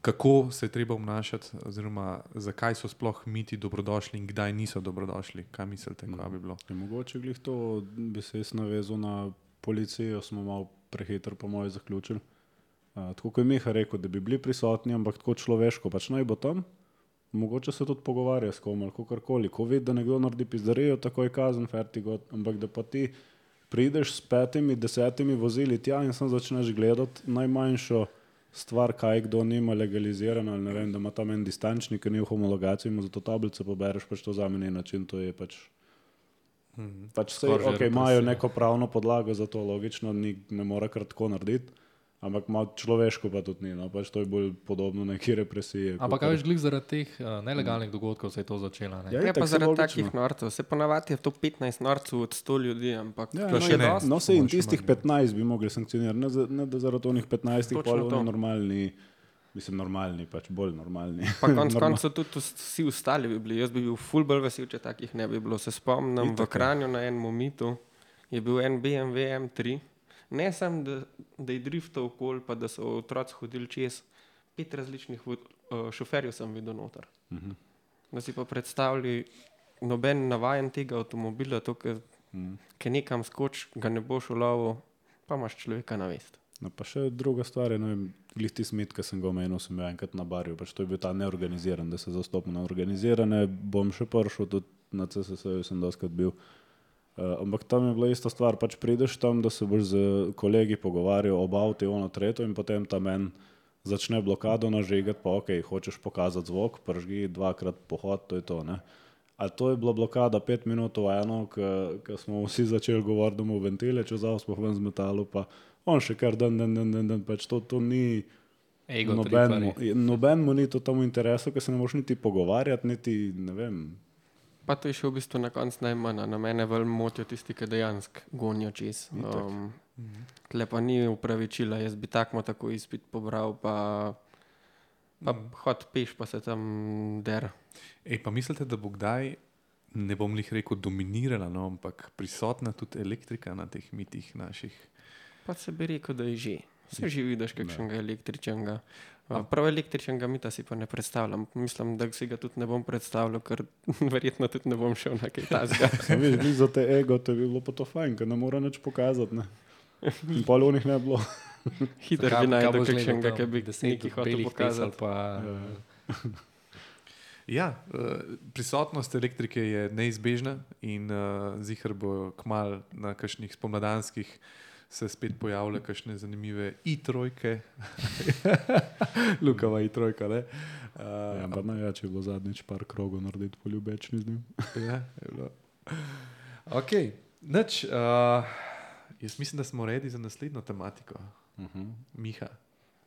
kako se je treba obnašati, oziroma zakaj so sploh miti dobrodošli in kdaj niso dobrodošli. Kaj mislite, kaj bi bilo? Je mogoče glih to, bi se jaz navezal na policijo, smo malo prehitro po moje zaključili. Uh, tako kot je Miha rekel, da bi bili prisotni, ampak tako človeško, pač naj bo tam. Mogoče se tudi pogovarja s kom ali kakorkoli. Ko vidi, da nekdo naredi pizdarijo, tako je kazen, fertigo, ampak da pa ti prideš s petimi, desetimi vozili tja in sam začneš gledati najmanjšo stvar, kaj kdo nima legalizirano, ali ne vem, da ima tam en distančnik, ki ni v homologaciji, ima za to tablico pobereš, pač to za meni način, to je pač mm, pač vse, ok, imajo neko pravno podlago za to, logično, ni, ne mora kar tako narediti, ampak malo človeško pa tudi ni, no, pač to je bolj podobno neki represiji. Ampak kaj veš, glih zaradi teh uh, nelegalnih dogodkov se je to začelo, ne? Ja, Je pa itak, zaradi logično. takih norcev. Se ponavadi je to petnajst norcev od sto ljudi, ampak Ja, To no, še je- ne. no, se in Samo še tistih manj. petnajst bi mogli sankcionirati, ne, za, ne da zaradi onih petnajstih Točno pol to. oni normalni, mislim normalni, pač bolj normalni. pa konc Normal- koncev tudi vs- vsi ostali bi bili. Jaz bi bil ful bolj vesel, če takih ne bi bilo. Se spomnim, v Itak, ja. Kranju na enem mitu je bil en B M W M tri. Ne samo, da, da je driftal okoli, pa da so otroci hodili čez. Pet različnih vo- uh, šoferjev sem videl noter. Mhm. Da si pa predstavljali, noben navajen tega avtomobila, to, ki Mhm. nekam skoč, ga ne boš ulovil, pa imaš človeka na vest. No, pa še druga stvar je, ne vem, glih ti smit, ki sem ga omenil, sem jo enkrat na barju, pač to je bil ta neorganiziran, da se zastopim na organizirane, bom še prišel, tudi na C S S-ju sem doskrat bil. Uh, ampak tam je bila ista stvar, pač prideš tam, da se boš z kolegi pogovarjal ob avtu, ono tretjo in potem tam en začne blokado nažigati, pa ok, hočeš pokazati zvok, pržgi dvakrat pohod, to je to, ne. A to je bila blokada pet minut v eno, ko smo vsi začeli govoriti, da mu ventile čez avto ven z metalu, pa on še kar dan, dan, dan, dan, dan pač to, to ni Ego nobenmu, triparji. nobenmu ni to tam v interesu, ker se ne moš niti pogovarjati, niti, ne vem. Pa to je še v bistvu na koncu najmanj. a Na mene bolj motijo tisti, ki dejansko gonijo čez. Itak. Um, tle pa ni upravičila, jaz bi takmo tako izpit pobral, pa, pa hod peš, pa se tam der. Ej, pa mislite, da bo kdaj, ne bom lih rekel dominirala, no, ampak prisotna tudi elektrika na teh mitih naših? Pa se bi rekel, da je že. Se že vidiš kakšnega električnega. Uh, prav električnega mita si pa ne predstavljam. Mislim, da si ga tudi ne bom predstavljal, ker verjetno tudi ne bom šel na kaj tasga. Sam veš, glih za te ego, to je bilo pa to fajn, ker ne mora nič pokazati, ne. In pol v njih ne bilo. Hitro Kaj- bi kaj najdel boš gledal kakšnega, tam? ki bi Deset nekaj hotel belih pesal pokazati. Pa, Ja, uh, prisotnost elektrike je neizbežna in uh, zihar bo kmal na kakšnih spomladanskih se spet pojavile kakšne zanimive i-trojke. Lukava i-trojka, ne? Uh, Ja, ampak najjače je bilo zadnjič par krogov narediti poljubečni z njim. Ja, je bilo. Ok, nič. Uh, jaz mislim, da smo redi za naslednjo tematiko. Uh-huh. Miha.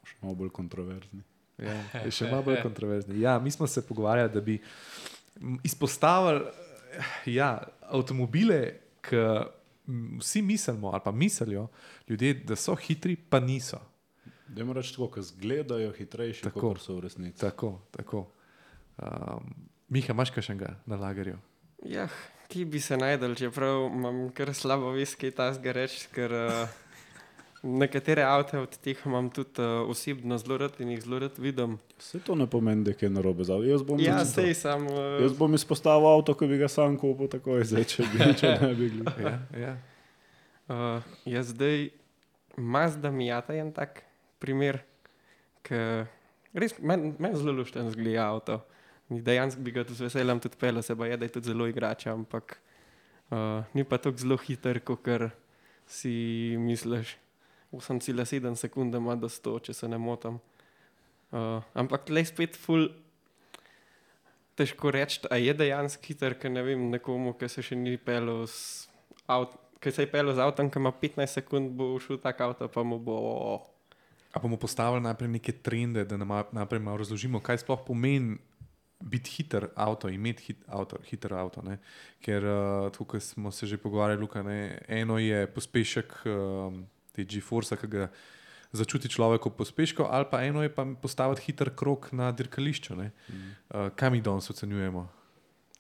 Še malo bolj kontroverzni. Ja, je še malo bolj kontroverzni. Ja, mi smo se pogovarjali, da bi m, izpostavili ja, avtomobile, ki m, vsi mislimo ali pa mislijo ljudje, da so hitri, pa niso. Dajmo reči tako, ko zgledajo hitrejši, Tako. kot so v resnici. Tako, tako. Um, Miha, imaš kakšnega na lagerju? Ja, ki bi se najdel, čeprav imam kar slabo vest, kaj tasga reči, ker uh, nekatere avte od teh imam tudi uh, osebno zelo rad in jih zelo rad vidim. Vse to ne pomeni, da je kaj narobe z avtom. Jaz bom Ja, recimo- sej sam. Uh, Jaz bom izpostavil avto, ki bi ga sam kupil takoj, zdaj, če bi če ne bi glih. Ja, ja. uh, jaz zdaj Mazda Miata je en tak primer, ki res meni men zelo lušten zgleda avto. Dejansko bi ga tudi z veseljem tudi pelil, se pa je, da je tudi zelo igrača, ampak uh, ni pa tako zelo hiter, kot si misliš. osem celih sedem sekunde ima do sto, če se ne motim. Uh, ampak le spet ful težko reči, a je dejansko hiter, ker ne vem, nekomu, ki se še ni pelil z avtom, ki se je pelil z avtom, ki ima petnajst sekund, bo šel tak avto, pa mu bo... A bomo postavili najprej neke trende, da nam najprej malo razložimo, kaj sploh pomeni biti hiter avto, imeti hit avto, hiter avto. Ne? Ker uh, tukaj smo se že pogovarjali, Luka, ne? Eno je pospešek um, te G-Force, ki ga začuti človek ob pospešku, ali pa eno je pa postaviti hiter krog na dirkališču. Mm. Uh, kaj mi danes ocenjujemo?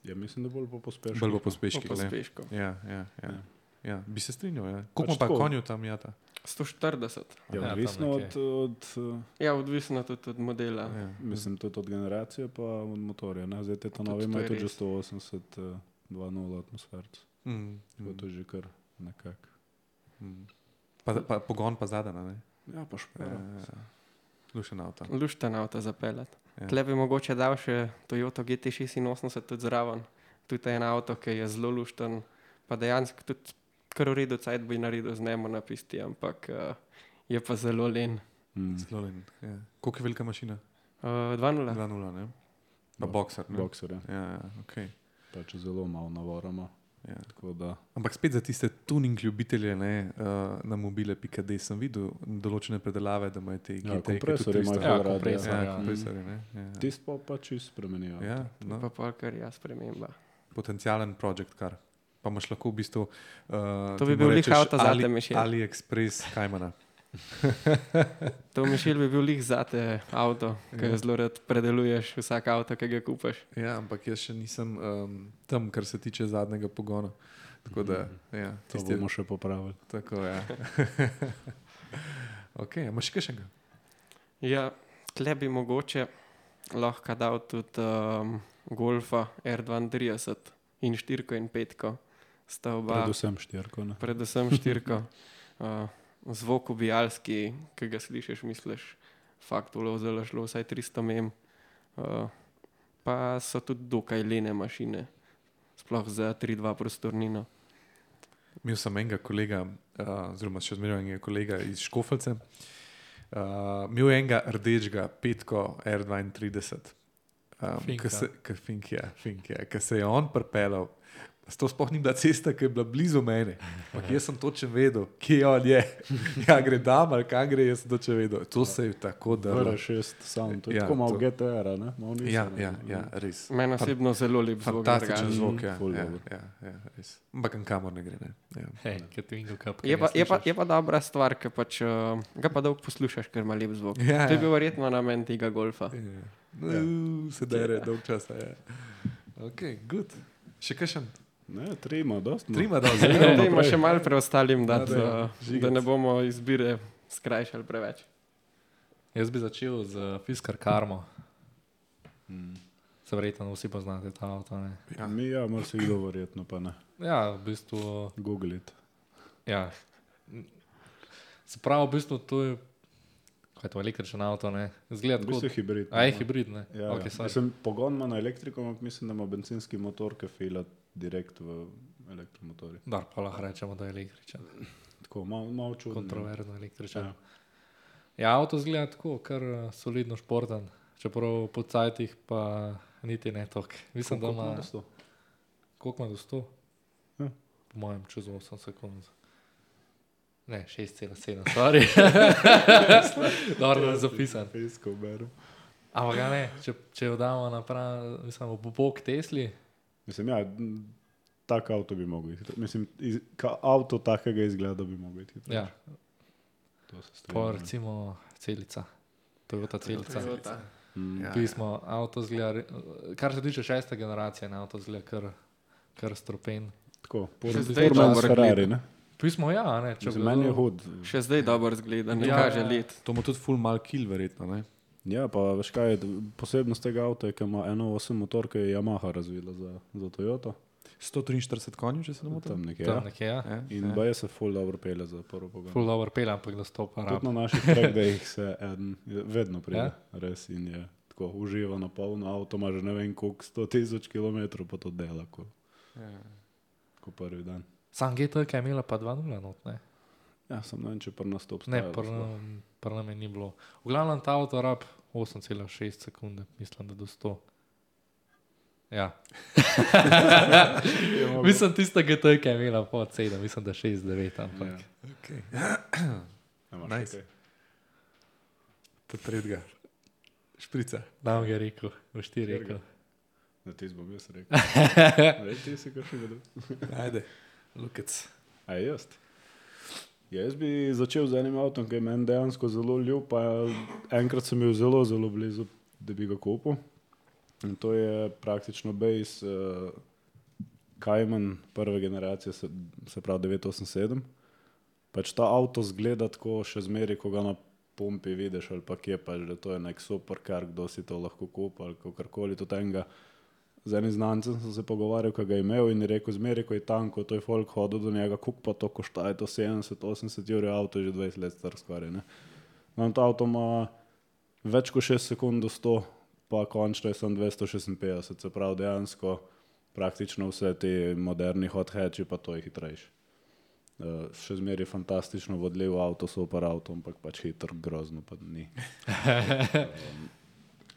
Ja, mislim, da bolj po pospešku. Bolj po pospeških. Po ne? pospešku. Ja, ja, ja. Ja. Ja, bi se strinjal. Ja. Koliko Pač pa tako. konju tam jata? sto štirideset. Je Ja, odvisno tam od, nekje. od, uh, Ja, odvisno tudi od modela. Ja. mislim, tudi od generacije pa od motorja. Ne? Zdaj te ta Tudi novi to imajo je tudi že res. sto osemdeset uh, dva nula atmosferc. Mm. Tako to je že kar nekako. Mm. Pa, pa pogon pa zadana, ne? Ja, pa špera. Ja. Lušen avto. Lušten avto zapeljati. Ja. Tle bi mogoče dal še Toyota G T šestinosemdeset tudi zraven. Tudi en avto, ki je zelo lušten, pa dejansko tudi kar v redu cajt bi naredil z njemu na pisti, ampak uh, je pa zelo len. Mm. Zelo len. Ja. Koliko je velika mašina? Uh, dva nula. dva nula, ne? Pa Bo- boxer, ne? Boxer, ja. Ja, ja, okej. Pač zelo malo navorama. Ja. Tako da, Ampak spet za tiste tuning ljubitelje, ne, uh, na mobile pika de sem videl določene predelave, da imajo te ja, G T-je, ki kompresorji tudi imajo tristo. Ja, ful radi, kompresor, Ja, ja. kompresorji, ne. Ja. Tisto pa pa čisto spremenijo. Ja, To no, pa pol kar jaz sprememba. potencialen projekt car. Pa imaš lahko v bistvu uh, To bi bil lih avto zate, Mišel. AliExpress Kajmana. To Mišel bi bil lih zate avto, ki Ja. zelo rad predeluješ vsak avto, ki ga kupaš. Ja, ampak jaz še nisem um, tam, kar se tiče zadnjega pogona. Tako da, ja, To tisti, bomo še popravili. tako, ja. Ok, a imaš še kakšnega? Ja, tle bi mogoče lahko dal tudi um, Golfa R dvaintrideset in štirko in petko. Sta oba, Predvsem štirko. Ne? predvsem štirko. Uh, zvok ubijalski, ki ga slišiš, misliš, fakt ulovzelo šlo vsaj tristo mem. Uh, pa so tudi dokaj lene mašine, sploh za tri dva prostornino. Imel sem enega kolega, uh, oziroma še zmeraj enega kolega iz Škofelce. Uh, imel je enega rdečega petko R dvaintrideset. Um, Finka. Ki se, ki Fink je, Fink je, ki se je on pripeljal. To sploh ni bila cesta, ki je bila blizu mene. Ampak jaz sem točno vedel, kje on je. Ja, gre dam ali kam gre, jaz sem točno vedel. To se je tako V dalo. R šest sound, to je Ja, tako malo to- G T R-a, ne? Malo Nissan, Ja, ne? ja, ja, res. Meni osebno zelo lep zvok. Fantastičen drugače. zvok, ja, Ful ja, dobro. ja, ja, res. Ampak kamor ne gre, ne. Ja. Hej, kaj ti vingo kap. Je pa, je, pa, je pa dobra stvar, ker pač, uh, ga pa dolgo poslušaš, ker ima lep zvok. Ja, To je ja. bil verjetno namen tega golfa. Ja. No, se dere, dolg časa. Ja. Ok, good. Še kakšen? Ne, tri ima, dosti. Trima, da Zdaj zdaj. gremo Dajmo naprej. še malo preostalim Ja, dati, dajmo. da, Žigac. da ne bomo izbire skrajšali preveč. Jaz bi začel z Fiskar Karmo. Mm. Se verjetno vsi poznate ta avto. Ne? Ja. Mi, ja, mar se kdo verjetno pa ne. Ja, v bistvu. Google it. Ja. Se pravi, v bistvu to je. Kaj je to električen avto? Ne? Zgleda V tako. bistvu je hibrid. A je no. hibrid, ne? Ja, Okay, ja. sorry. Mislim, pogon ima na elektriko, ampak mislim, da ima bencinski motor, ki fila direkt v elektromotorju. Dar, pa lahko rečemo, da je električen. Tako, malo mal čudno. Kontroverzno električen. Ja. Ja, avto zgleda tako, kar eh, solidno športen. Čeprav po cajtih pa niti ne toliko. Mislim, da ima. Koliko ima do sto? Ja. Po mojem, čez osem sekund. Ne, šest cela sedem, stvari. Dobro, da je zapisan. Fejsko berem. Ampak ga ne, če, če jo damo napram, mislim, v bok Tesli, Mislim, ja, m, tak avto bi mogel iti. Mislim, iz, ka, avto takega izgleda bi mogel iti. ja, To se pa strinjam. recimo celica. Toyota celica. Toyota. Mm. Ja. Pismo, avto zgleda, re- kar se tiče šeste generacije, ne, avto zgleda kar, kar stropen. Tako, Še zdaj Furman dobro s Ferrari, gleda. ne? Pismo, ja, ne, če Mislim, bi meni je bilo- hud. Še zdaj dobro zgleda, ne Ja, kaže ja. let. To ima tudi full mal kill, verjetno, ne? Ja, pa veš kaj, je posebnost tega avta je, ker ima eno osem motor, ki je Yamaha razvila za, za Toyoto. sto triinštirideset konjev, če se ne motim. Tam nekje. Tam Ja. nekje, ja. Ja, In ja. baje se full dobro pele za prvo pogon. Full dobro pelja, ampak da stopa Tudi rab. na naših trackdayih se eden vedno pride, Ja? res in je tako uživa na polno, avto ima že ne vem koliko, sto tisoč kilometrov pa to dela, ko, Ja. ko prvi dan. Sam G T, ki je imela pa dva nula not, ne. Ja, sem ne vem, če pri nas to Ne, obstaja. pri nam je ni bilo. V glavnem ta avto rab osem cela šest sekunde, mislim, da do sto. Ja. Mislim, tista G T, ki je imela pod sedem, mislim, da šest devet, ampak. Ja. Okay. Nice. Nice. To tretjega. Šprica. Nam je rekel, v štiri Katerega? rekel. Na ti bom jaz rekel. Rej, ti si kar še vedel. Ajde, lukec. A je jaz? Ja, jaz bi začel z enim avtom, ki je meni dejansko zelo ljub, pa enkrat sem bil zelo, zelo blizu, da bi ga kupil. In to je praktično base uh, Cayman prve generacije, se, se pravi devet osem sedem. pač ta avto zgleda tako še zmeri, ko ga na pumpi vidiš ali pa kje pač, da to je nek superkar, kdo si to lahko kupa ali kakorkoli to tenga. Z enim znancem sem se pogovarjal, ko ga je imel in je rekel, zmeri, ko je tanko, to je folk hodil do njega, koliko pa to košta, je to sedemdeset osemdeset evrov, avto je že dvajset let star skoraj, ne. No, to avto ima več kot šest sekund do sto, pa končno je samo dvesto šestinpetdeset, se pravi dejansko praktično vse te moderni hot hatchi, pa to je hitrejši. Uh, še zmeri fantastično vodljiv avto, super avto, ampak pač hitro, grozno pa ni. um,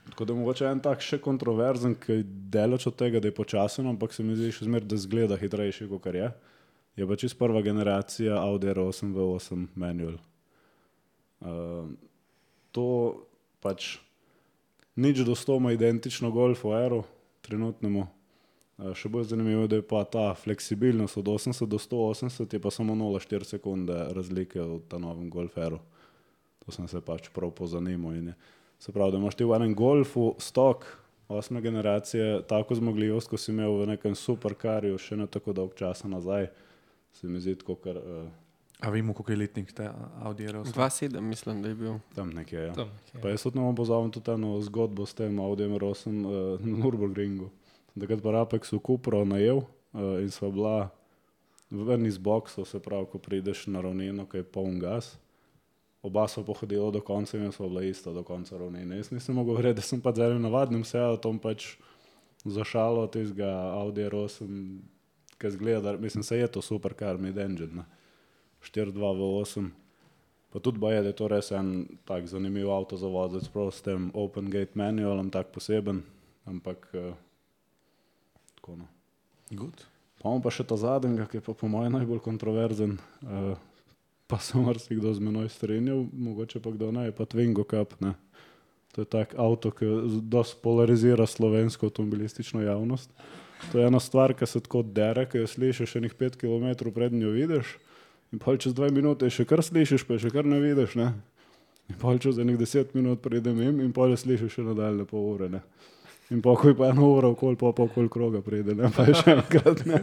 Tako da mogoče en tak še kontroverzen, ki je deleč od tega, da je počasen, ampak se mi zdi še zmer, da zgleda hitrejši, kot je. Je pa čist prva generacija Audi R osem V osem manual. Uh, to pač nič do sto ima identično Golfu Aeru, trenutnemu. Uh, še bolj zanimivo, da je pa ta fleksibilnost od osemdeset do sto osemdeset, je pa samo nula celih štiri sekunde razlike v ta novem Golf Airu. To sem se pač prav pozanimal in je. Se pravi, da imaš ti v enem Golfu stok osme generacije tako zmogljivost, ko si imel v nekem superkarju še ne tako dolg časa nazaj. Se mi zdi tako, kar... Uh, A vemo, koliko je letnik te Audi R osem? dva sedem mislim, da je bil. Tam nekje, ja. Tam nekje. Pa jaz tudi ne bom pozavim tudi eno zgodbo s tem Audi R osem uh, na Nürburgringu. Takrat pa Rapexu Cupro najel uh, in sva bila v eni iz boksov, se pravi, ko prideš na ravnino, ko je poln gas. Oba so pohodila do konca in so bila ista do konca ravnine. Jaz nisem mogel verjeti, da sem pa z enim navadnim Seatom pač zašalo tistega Audi R osem, ki zgleda, mislim, se je to supercar mid-engine, ne. štiri dva V osem. Pa tudi baje, da je to res en tak zanimiv avto za voziti, prav s tem open gate manualom, tak poseben, ampak uh, tako no. Good. Pa imam pa še ta zadnjega, ki je pa po mojem najbolj kontroverzen, uh, pa se marsikdo z menoj strinjal, mogoče pa kdo ne, je pa Twingo Cup, ne. To je tak avto, ki dosti polarizira slovensko avtomobilistično javnost. To je ena stvar, ki se tako dere, ki jo slišiš enih pet kilometrov pred njo vidiš in pol čez dve minute še kar slišiš, pa še kar ne vidiš, ne. In pol čez enih deset minut pridem im in pol slišiš še nadaljne pol ure, ne. In pokoj pa eno uro okoli, pa pa okoli kroga pride, ne, pa je še enkrat, ne.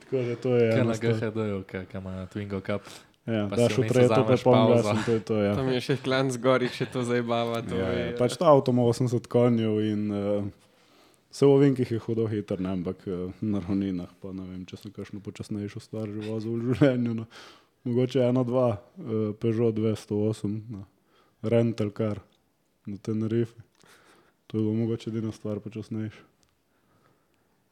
Tako da to je Kaj ena na G H D-ju, kaj ima Twingo Cup. Ja, Pa daš si v vmes treto, pa vzameš poln pauzo. gas in to je to, ja. Tam je še klan zgori, še to zajbava. To Ja, je, ja. Pač ta avto ima osemdeset konjev in uh, se v ovinkih je hudo hiter, ne, ampak uh, na ravninah pa ne vem, če sem kakšno počasnejšo stvar že vozil v življenju. No. Mogoče ena, dva, uh, Peugeot dvesto osem, no. Rental car na Tenerife. To je bilo mogoče edina stvar počasnejša.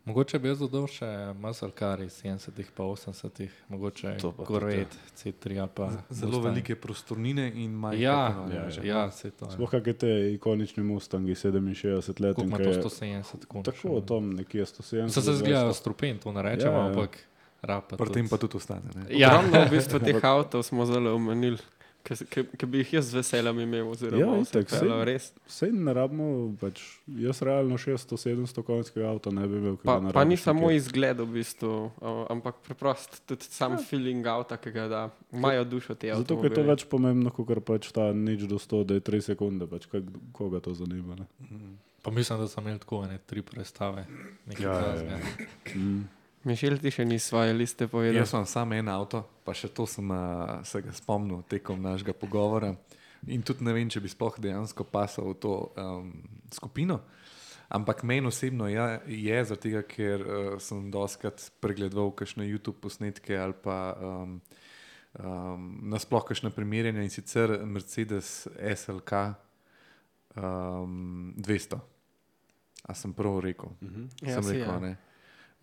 Mogoče bi jaz dodal še muscle car iz sedemdesetih pa osemdesetih, mogoče To pa tudi, Corvette C tri ali pa Zelo Mustang. velike prostornine in majhne. Ja, ja, ja, ja, se to. Sploh kakšne te ikonični Mustangi sedeminšestdeset let. Koliko ima in to kaj je- sto sedemdeset konj? Tako, tam nekje sto sedemdeset. Se se zgledajo dvesto. strupen, to ne rečemo, Ja, ja. ampak rapa Pri tem pa tudi ostane. Ne? Ja. Ogromno v bistvu teh avtov smo zelo omenili, ki bi jih jaz z veseljem imel, oziroma Ja, vse itak, peljal, saj- res. Sej ne rabimo, pač jaz realno šeststo sedemsto konjskega avta ne bi imel. ki Pa, ga ne pa ni rabiš samo nikjer. izgled v bistvu, uh, ampak preprost tudi sam feeling avta, ki ga da, imajo dušo te avtomobile. Zato, ker je to več pomembno, kot pač ta nič do sto, da je tri sekunde, pač kak, koga to zanima. Ne? Pa mislim, da sem imel tako ene tri predstave. Nekaj Ja, ja, takega. ja. Mm. Mišel, ti še ni svoje liste povedal. Jaz imam samo en avto, pa še to sem uh, se ga spomnil tekom našega pogovora. In tudi ne vem, če bi sploh dejansko pasal v to um, skupino. Ampak meni osebno je, je zaradi tega, ker uh, sem doskrat pregledoval kakšne YouTube posnetke ali pa um, um, nasploh kakšne primerjanja in sicer Mercedes S L K um, dvesto. A sem prav rekel? Mhm. Ja, Sem si, rekel, ja. ne.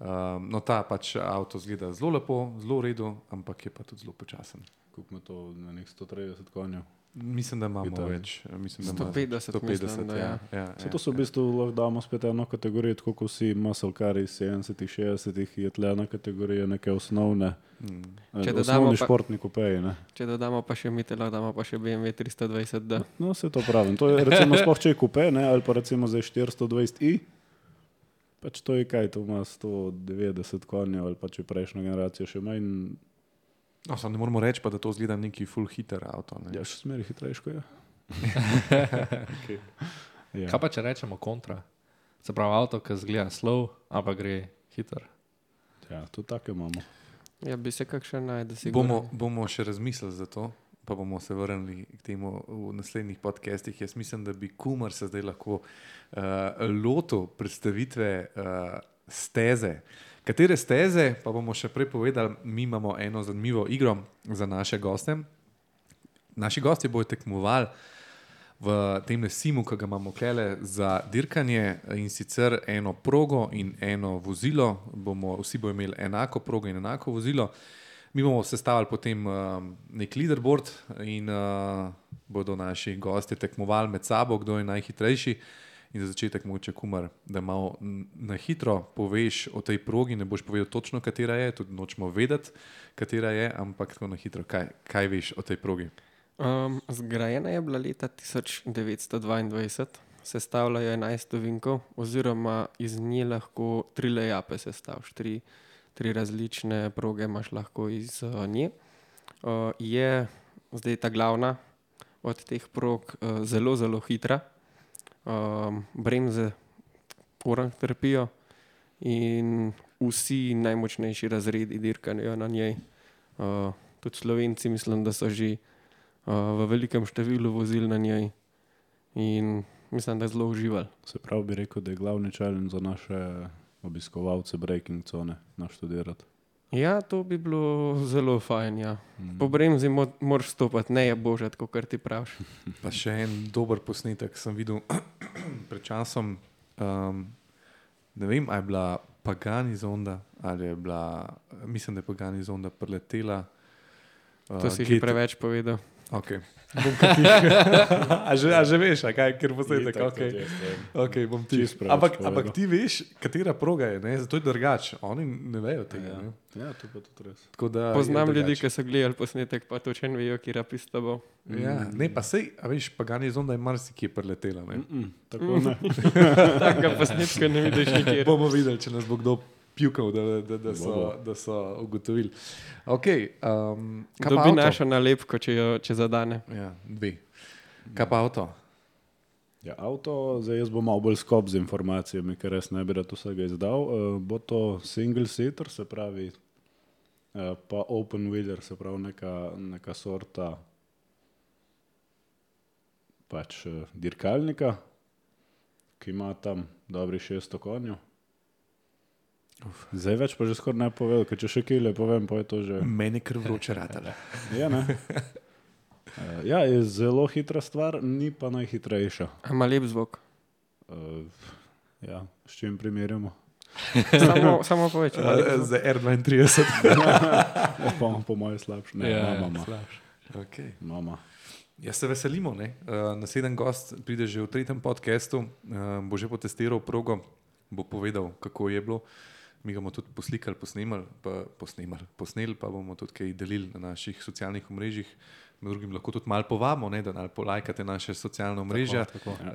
Um, no, ta pač avto zgleda zelo lepo, zelo v redu, ampak je pa tudi zelo počasen. Koliko ima to na nek sto trideset konjev? Mislim, da imamo Italija. več. Mislim, da sto ima petdeset mislim, da ja. ja. Ja, Vse ja, to so v bistvu lahko damo spet eno kategorijo, tako kot vsi muscle cari iz sedemdesetih, šestdesetih, je tle ena kategorija neke osnovne, Mm. eh, Če dodamo osnovni pa- športni kupeji. Ne? Če dodamo pa še Mitela, damo pa še B M W tristo dvajset D. No, se to pravim. To je recimo sploh če je kupe, ne? Ali pa recimo za štiristo dvajset i, pač to je kaj, to ima sto devetdeset konjev ali pa če prejšnja generacija še manj, No, samo ne moramo reči, pa, da to zgleda neki full hitter avto. Ne? ja, še smeri hitrejško je. Okay. Ja. Kaj pa če rečemo kontra? Se pravi avto, ki zgleda slov, ampak gre hiter. Ja, to tako imamo. Ja, bi se kakšen najde, sigurno. Bomo, bomo še razmislili za to, pa bomo se vrnili k temu v naslednjih podcastih. Jaz mislim, da bi Kumar se zdaj lahko uh, lotil predstavitve uh, steze. Katere steze, pa bomo še prej povedali, mi imamo eno zanimivo igro za naše goste. Naši gosti bodo tekmovali v tem simu, ki ga imamo klele za dirkanje, in sicer eno progo in eno vozilo. Bomo, vsi bodo imeli enako progo in enako vozilo. Mi bomo sestavili potem uh, nek leaderboard in uh, bodo naši gosti tekmovali med sabo, kdo je najhitrejši. In za začetek mogoče, Kumar, da malo na hitro poveš o tej progi, ne boš povedal točno, katera je, tudi nočemo vedeti, katera je, ampak tako na hitro, kaj, kaj veš o tej progi? Um, zgrajena je bila leta tisoč devetsto dvaindvajset, sestavljajo enajst ovinkov, oziroma iz nje lahko tri layape sestaviš, tri, tri različne proge imaš lahko iz uh, nje. Uh, je zdaj ta glavna od teh prog uh, zelo, zelo hitra. Um, bremze orang trpijo in vsi najmočnejši razredi dirkajo na njej. Uh, tudi Slovenci mislim, da so že uh, v velikem številu vozili na njej in mislim, da je zelo uživali. Se pravi, bi rekel, da je glavni challenge za naše obiskovalce breaking cone naštudirati. Ja, to bi bilo zelo fajn, ja. Mm. Po bremzi mo moraš stopati, ne je božat, kot kar ti praviš. Pa še en dober posnetek sem videl pred časom. Um, ne vem, a je bila Pagani zonda ali je bila, mislim, da je Pagani zonda preletela. Uh, To si že preveč povedal. Ok. a, že, a že veš, a kaj, ker posnetek, ok. Okay, bom ti. Ampak, ampak ti veš, katera proga je, ne? Zato je drugače. Oni ne vejo tega. Ja, ne? ja to pa tudi res. Tako da Poznam je ljudi, drugače. ki so gledali posnetek, pa točno vejo, kje pista bo. Ja, ne, pa sej, a veš, Pagani zonda je marsikje preletela, ne? Mm, tako ne. Takega posnetka ne vidiš nikjer. Bomo videli, če nas bo kdo pjukal, da, da, da, so, Bo, bo. da so ugotovili. Okay, um, kaj pa Dobi avto? našo nalepko, če jo če zadane. Ja, dve. Kaj pa avto? Ja, avto, zdaj jaz bom malo bolj skop z informacijami, ker res ne bi rad vsega izdal. Uh, bo to single seater, se pravi, uh, pa open wheeler, se pravi neka, neka sorta pač uh, dirkalnika, ki ima tam dobri šeststo konjev. Uf. Zdaj več pa že skoraj ne povedal, ker če še kile povem, pa je to že... Meni kar vroče ratale. Ja, ne? Uh, ja, je zelo hitra stvar, ni pa najhitrejša. A ima lep zvok. Uh, ja, s čim primerjamo? Samo, samo povečamo. Za R dvaintrideset. Ja, pa po moje slabše. Ne, Ja, mama, slabše. Okay. mama. Ja, se veselimo. Ne? Uh, naslednji gost pride že v tretjem podcastu, uh, bo že potestiral progo, bo povedal, kako je bilo. Mi ga bomo tudi poslikali, posnemali, pa, posnemali, posneli, pa bomo tudi kaj delili na naših socialnih omrežjih. Med drugim lahko tudi malo povabimo, ne, da polajkate naše socialne omrežja, Tako, tako. uh,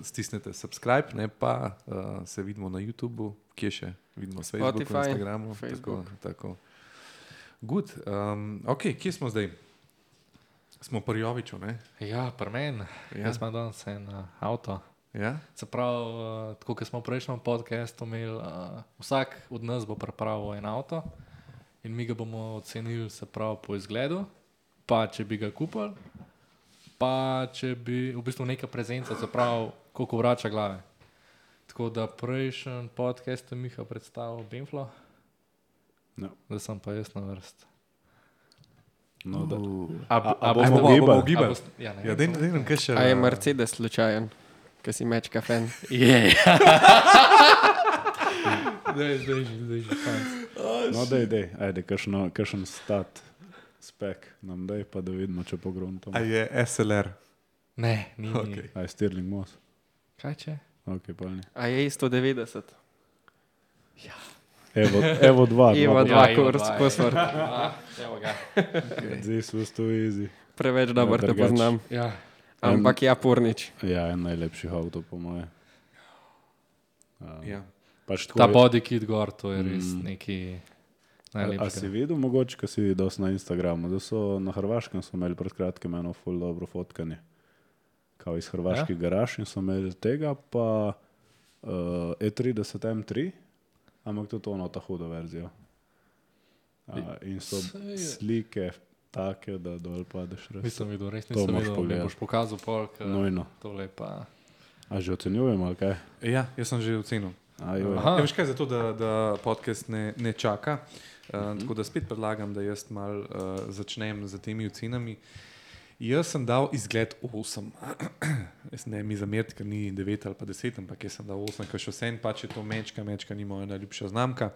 stisnete subscribe, ne, pa uh, se vidimo na YouTubu, kje še vidimo, Facebooku, Spotify, Instagramu. Facebook. Tako, tako. Good. Um, ok, kje smo zdaj? Smo pri Joviču, ne? Ja, pri meni. Ja. Jaz imam danes en uh, avto. Ja? Se pravi, uh, tako kot smo v prejšnjem podcastu imeli, uh, vsak od nas bo pripravil en avto in mi ga bomo ocenili, se pravi, po izgledu, pa če bi ga kupili, pa če bi v bistvu neka prezenca, se pravi, koliko vrača glave. Tako da prejšnji podcast je Miha predstavil Benflo, No. da sem pa jaz na vrst. No, da. A, A- a a, bomo bomo gibali? bomo gibali? A boste- Ja, ne Ja, vem, dej, samo- dej nam kaj še. A je Mercedes slučajen, ki si mečka fan? Je. Zdaj, zdaj, že, zdaj, že, fanc. No, dej, dej, ajde, kakšno- kakšen stat, spek nam daj, pa da vidimo, če pogruntam. A je S L R? Ne, ni. Okay. Okay. Aj, Stirling Moss. Kaj če? Ok, pa ni. A je sto devetdeset? Evo, evo dva. Evo dva. dva, Ja, Evo kurs, dva, kosvrt. Ah, evo ga. This was too easy. Preveč dober te drugače. poznam. Ja. Ampak ja, Pornič. Ja, en najlepših avtov, po moje. Um, Ja. pač tako Ta je- body kit gor, to je res Mm. neki A, a si najlepši. videl, mogoče, ko si videl na Instagramu, da so na Hrvaškem so imeli pred kratkim eno ful dobro fotkanje. Kao iz hrvaških ja? garaž in so imeli tega, pa uh, E trideset M tri, ampak tudi ono ta huda verzija. Uh, in so Saj je. slike take, da dol padeš res. Nisem videl, res To nisem moraš videl, mi pogledati. boš pokazal polk. Nujno. Tole pa. A že ocenjujem, ali kaj? Ja, jaz sem že ocenil. A, joj. Aha. Ja, veš kaj, zato da, da podcast ne, ne čaka. Uh, mm-hmm. Tako da spet predlagam, da jaz mal uh, začnem z temi ocenami. Jaz sem dal izgled osem. Jaz ne mi zameriti, ker ni devet ali pa deset, ampak jaz sem dal osem, ker še vsem pač je to mečka, mečka ni moja najljubša znamka.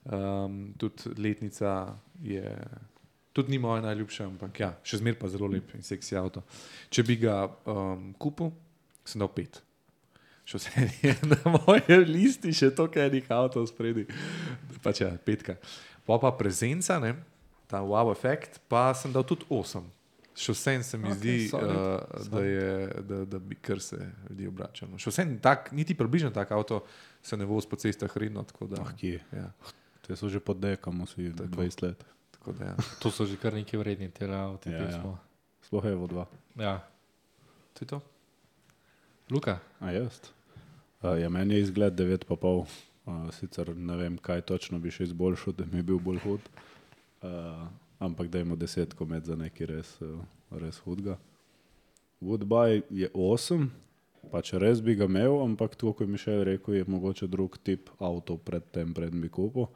Um, tudi letnica je, tudi ni moja najljubša, ampak ja, še zmer pa zelo lep in seksi avto. Če bi ga um, kupil, sem dal pet. Še vse je na moje listi, še toliko enih avtov spredi. Pač ja, petka. Pa pa prezenca, ne, ta wow efekt, pa sem dal tudi osem. Še vsem se mi Ok, zdi, solid, uh, da, je, da, da bi kar se ljudi obračalo. Še vsem tak, niti približno tak avto se ne vozi po cestah redno. Tako da, Ah, kje? ja, Te so že pod dekom, vsi Tako. dvajset let. tako da, ja. To so že kar neki vredni tele avti. Ja, ja. Ja, Sploh Evo dva. ja. To je to? Luka? A jaz? Uh, ja, meni je izgled devet pa pol. Uh, sicer ne vem, kaj točno bi še izboljšal, da mi je bil bolj hud. Uh, ampak dajmo desetko med za nekaj res, uh, res hudga. Woodbuy je osem, pač res bi ga imel, ampak to, ko je Mišel rekel, je mogoče drug tip avto pred tem, pred bi kupil.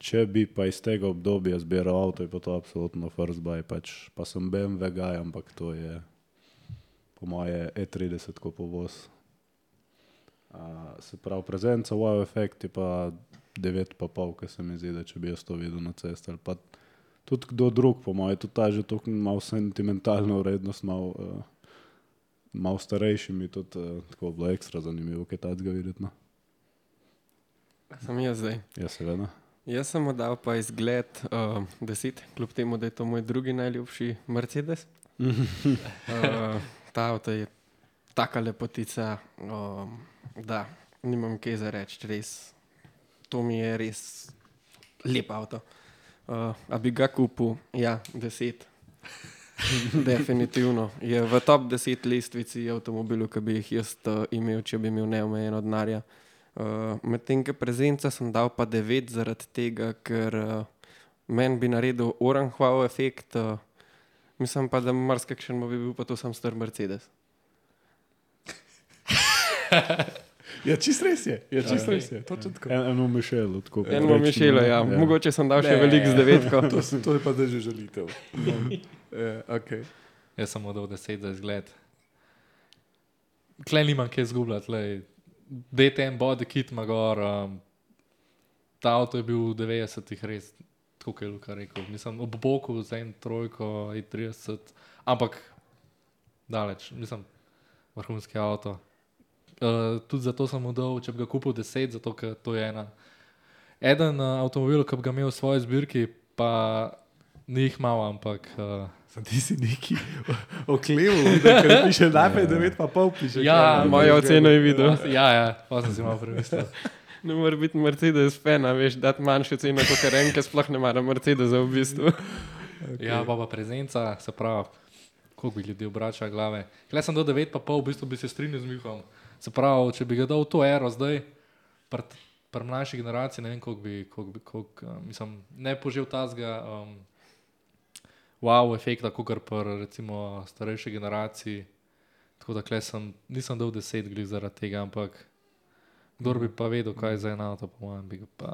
Če bi pa iz tega obdobja zbiral avto, je pa to absolutno first buy, pač, pa sem B M W guy, ampak to je po moje E trideset ko povoz. Uh, se pravi, prezenca, wow efekt je pa devet pa pol, ker se mi zdi, da če bi jaz to videl na cesti ali pa tudi kdo drug, po moje, tudi ta že tako malo sentimentalno vrednost, malo, uh, malo starejši mi tudi uh, tako bilo ekstra zanimivo, kaj tacga videti. No? Sem jaz zdaj. Ja, seveda. Jaz sem mu dal pa izgled uh, deset, kljub temu, da je to moj drugi najljubši Mercedes. uh, ta avto je taka lepotica, um, da nimam kaj za reči, res. To mi je res lep avto. Uh, a bi ga kupil? Ja, deset. Definitivno. Je v top deset lestvici avtomobilov, ki bi jih jaz uh, imel, če bi imel neomejeno denarja. Uh, Medtem, ko prezenca sem dal pa devet zaradi tega, ker uh, meni bi naredil oranž wow efekt, uh, mislim pa, da marsikakšen bi bil pa to sam star Mercedes. Ja, čist res je. Ja, čist Ja. res je. Točno tako. En, eno Mišelu. Tako Eno povprečno, Mišelo, ja. ja. Mogoče sem dal še Ne. veliko z devetko. To, s- to je pa zdaj že žalitev. ja, okay. Jaz sem mu dal deset za izgled. Klej nimam kaj zgubljati, lej. D T M body kit ima gor. Um, ta avto je bil v devetdesetih res, tako kot je Luka rekel. Mislim, ob boku za en trojko, E trideset, ampak daleč, mislim, vrhunski avto. Uh, tudi zato sem mu dal, če bi ga kupil deset, zato ker to je ena. Eden uh, avtomobil, ki bi ga imel v svoji zbirki, pa ni jih malo, ampak uh, Sam ti si neki okleval, da piše najprej devet pa pol piše. Ja, kaj, mojo ne, oceno je videl. ja, ja, pa sem si malo premislil. Ne more biti Mercedes fan, a veš, dati manjšo ceno kot Renke, sploh ne mara Mercedesa v bistvu. Okay. Ja, pa pa prezenca, se pravi, koliko bi ljudi obračal glave. Klej sem do devet pa pol, v bistvu bi se strinjal z Mihom. Se pravi, če bi ga dal v to ero zdaj, pri pr mlajši generaciji, ne vem, koliko bi, koliko bi, koliko, uh, mislim, ne požil tazga um, wow efekta, kot pri recimo starejši generaciji. Tako da klej sem, nisem dal deset glih zaradi tega, ampak kdor bi pa vedel, kaj je za eno avto, po mojem, bi ga pa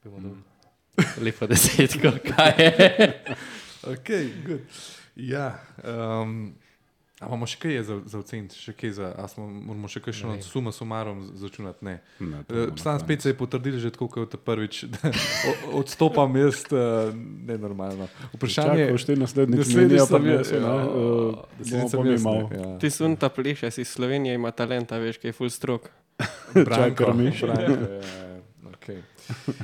bi mu dal lepo desetko, kaj je. Ok, good. Ja, um, a imamo še kaj za, za oceniti, še kaj za, a smo, moramo še kakšno Ne vem. suma sumarom začunati? Ne. Ne, to Uh, bomo Stan na spet se je potrdil že tako, kot prvič, da o- odstopam jaz uh, nenormalno. Vprašanje Čakaj, boš ti naslednjič naslednjič menija, pa sem ne jaz, se, ja, ne, uh, naslednjič bomo sem pa mi jaz, ne, malo. ja. Ti sunta pleša, si Slovenija ima talenta, veš, kaj je full strok. Branko, Miš. Branko, ja, ja, okay.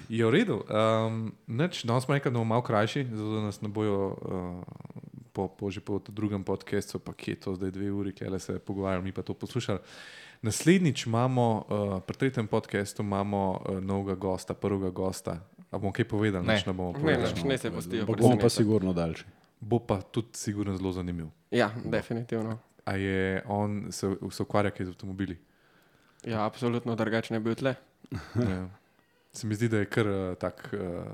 Je v redu. Um, neč, danes smo rekli, da bomo malo krajši, zato da nas ne bojo uh, po, po, že po drugem podcastu, pa kje je to zdaj dve uri, kje se pogovarjamo, mi pa to poslušali. Naslednjič imamo, uh, pri tretjem podcastu imamo uh, novega gosta, prvega gosta. A bomo kaj povedali? Ne. Nič ne bomo Ne, povedali. nič, ne se pustijo Ampak bomo pa presenetiti. sigurno daljši. Bo pa tudi sigurno zelo zanimiv. Ja, definitivno. A je on se, se ukvarja kaj z avtomobili? Ja, absolutno drugače ne bi bil tle. Ja. se mi zdi, da je kar uh, tak uh,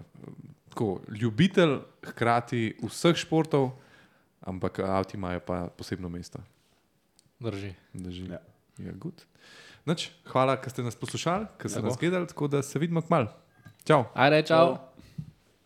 tako, ljubitelj hkrati vseh športov, ampak avti imajo pa posebno mesto. Drži. Drži. Ja. Ja, good. Nič, hvala, ker ste nas poslušali, ker ste Lepo. nas gledali, tako da se vidimo kmalu. Čau. Ajde, čau.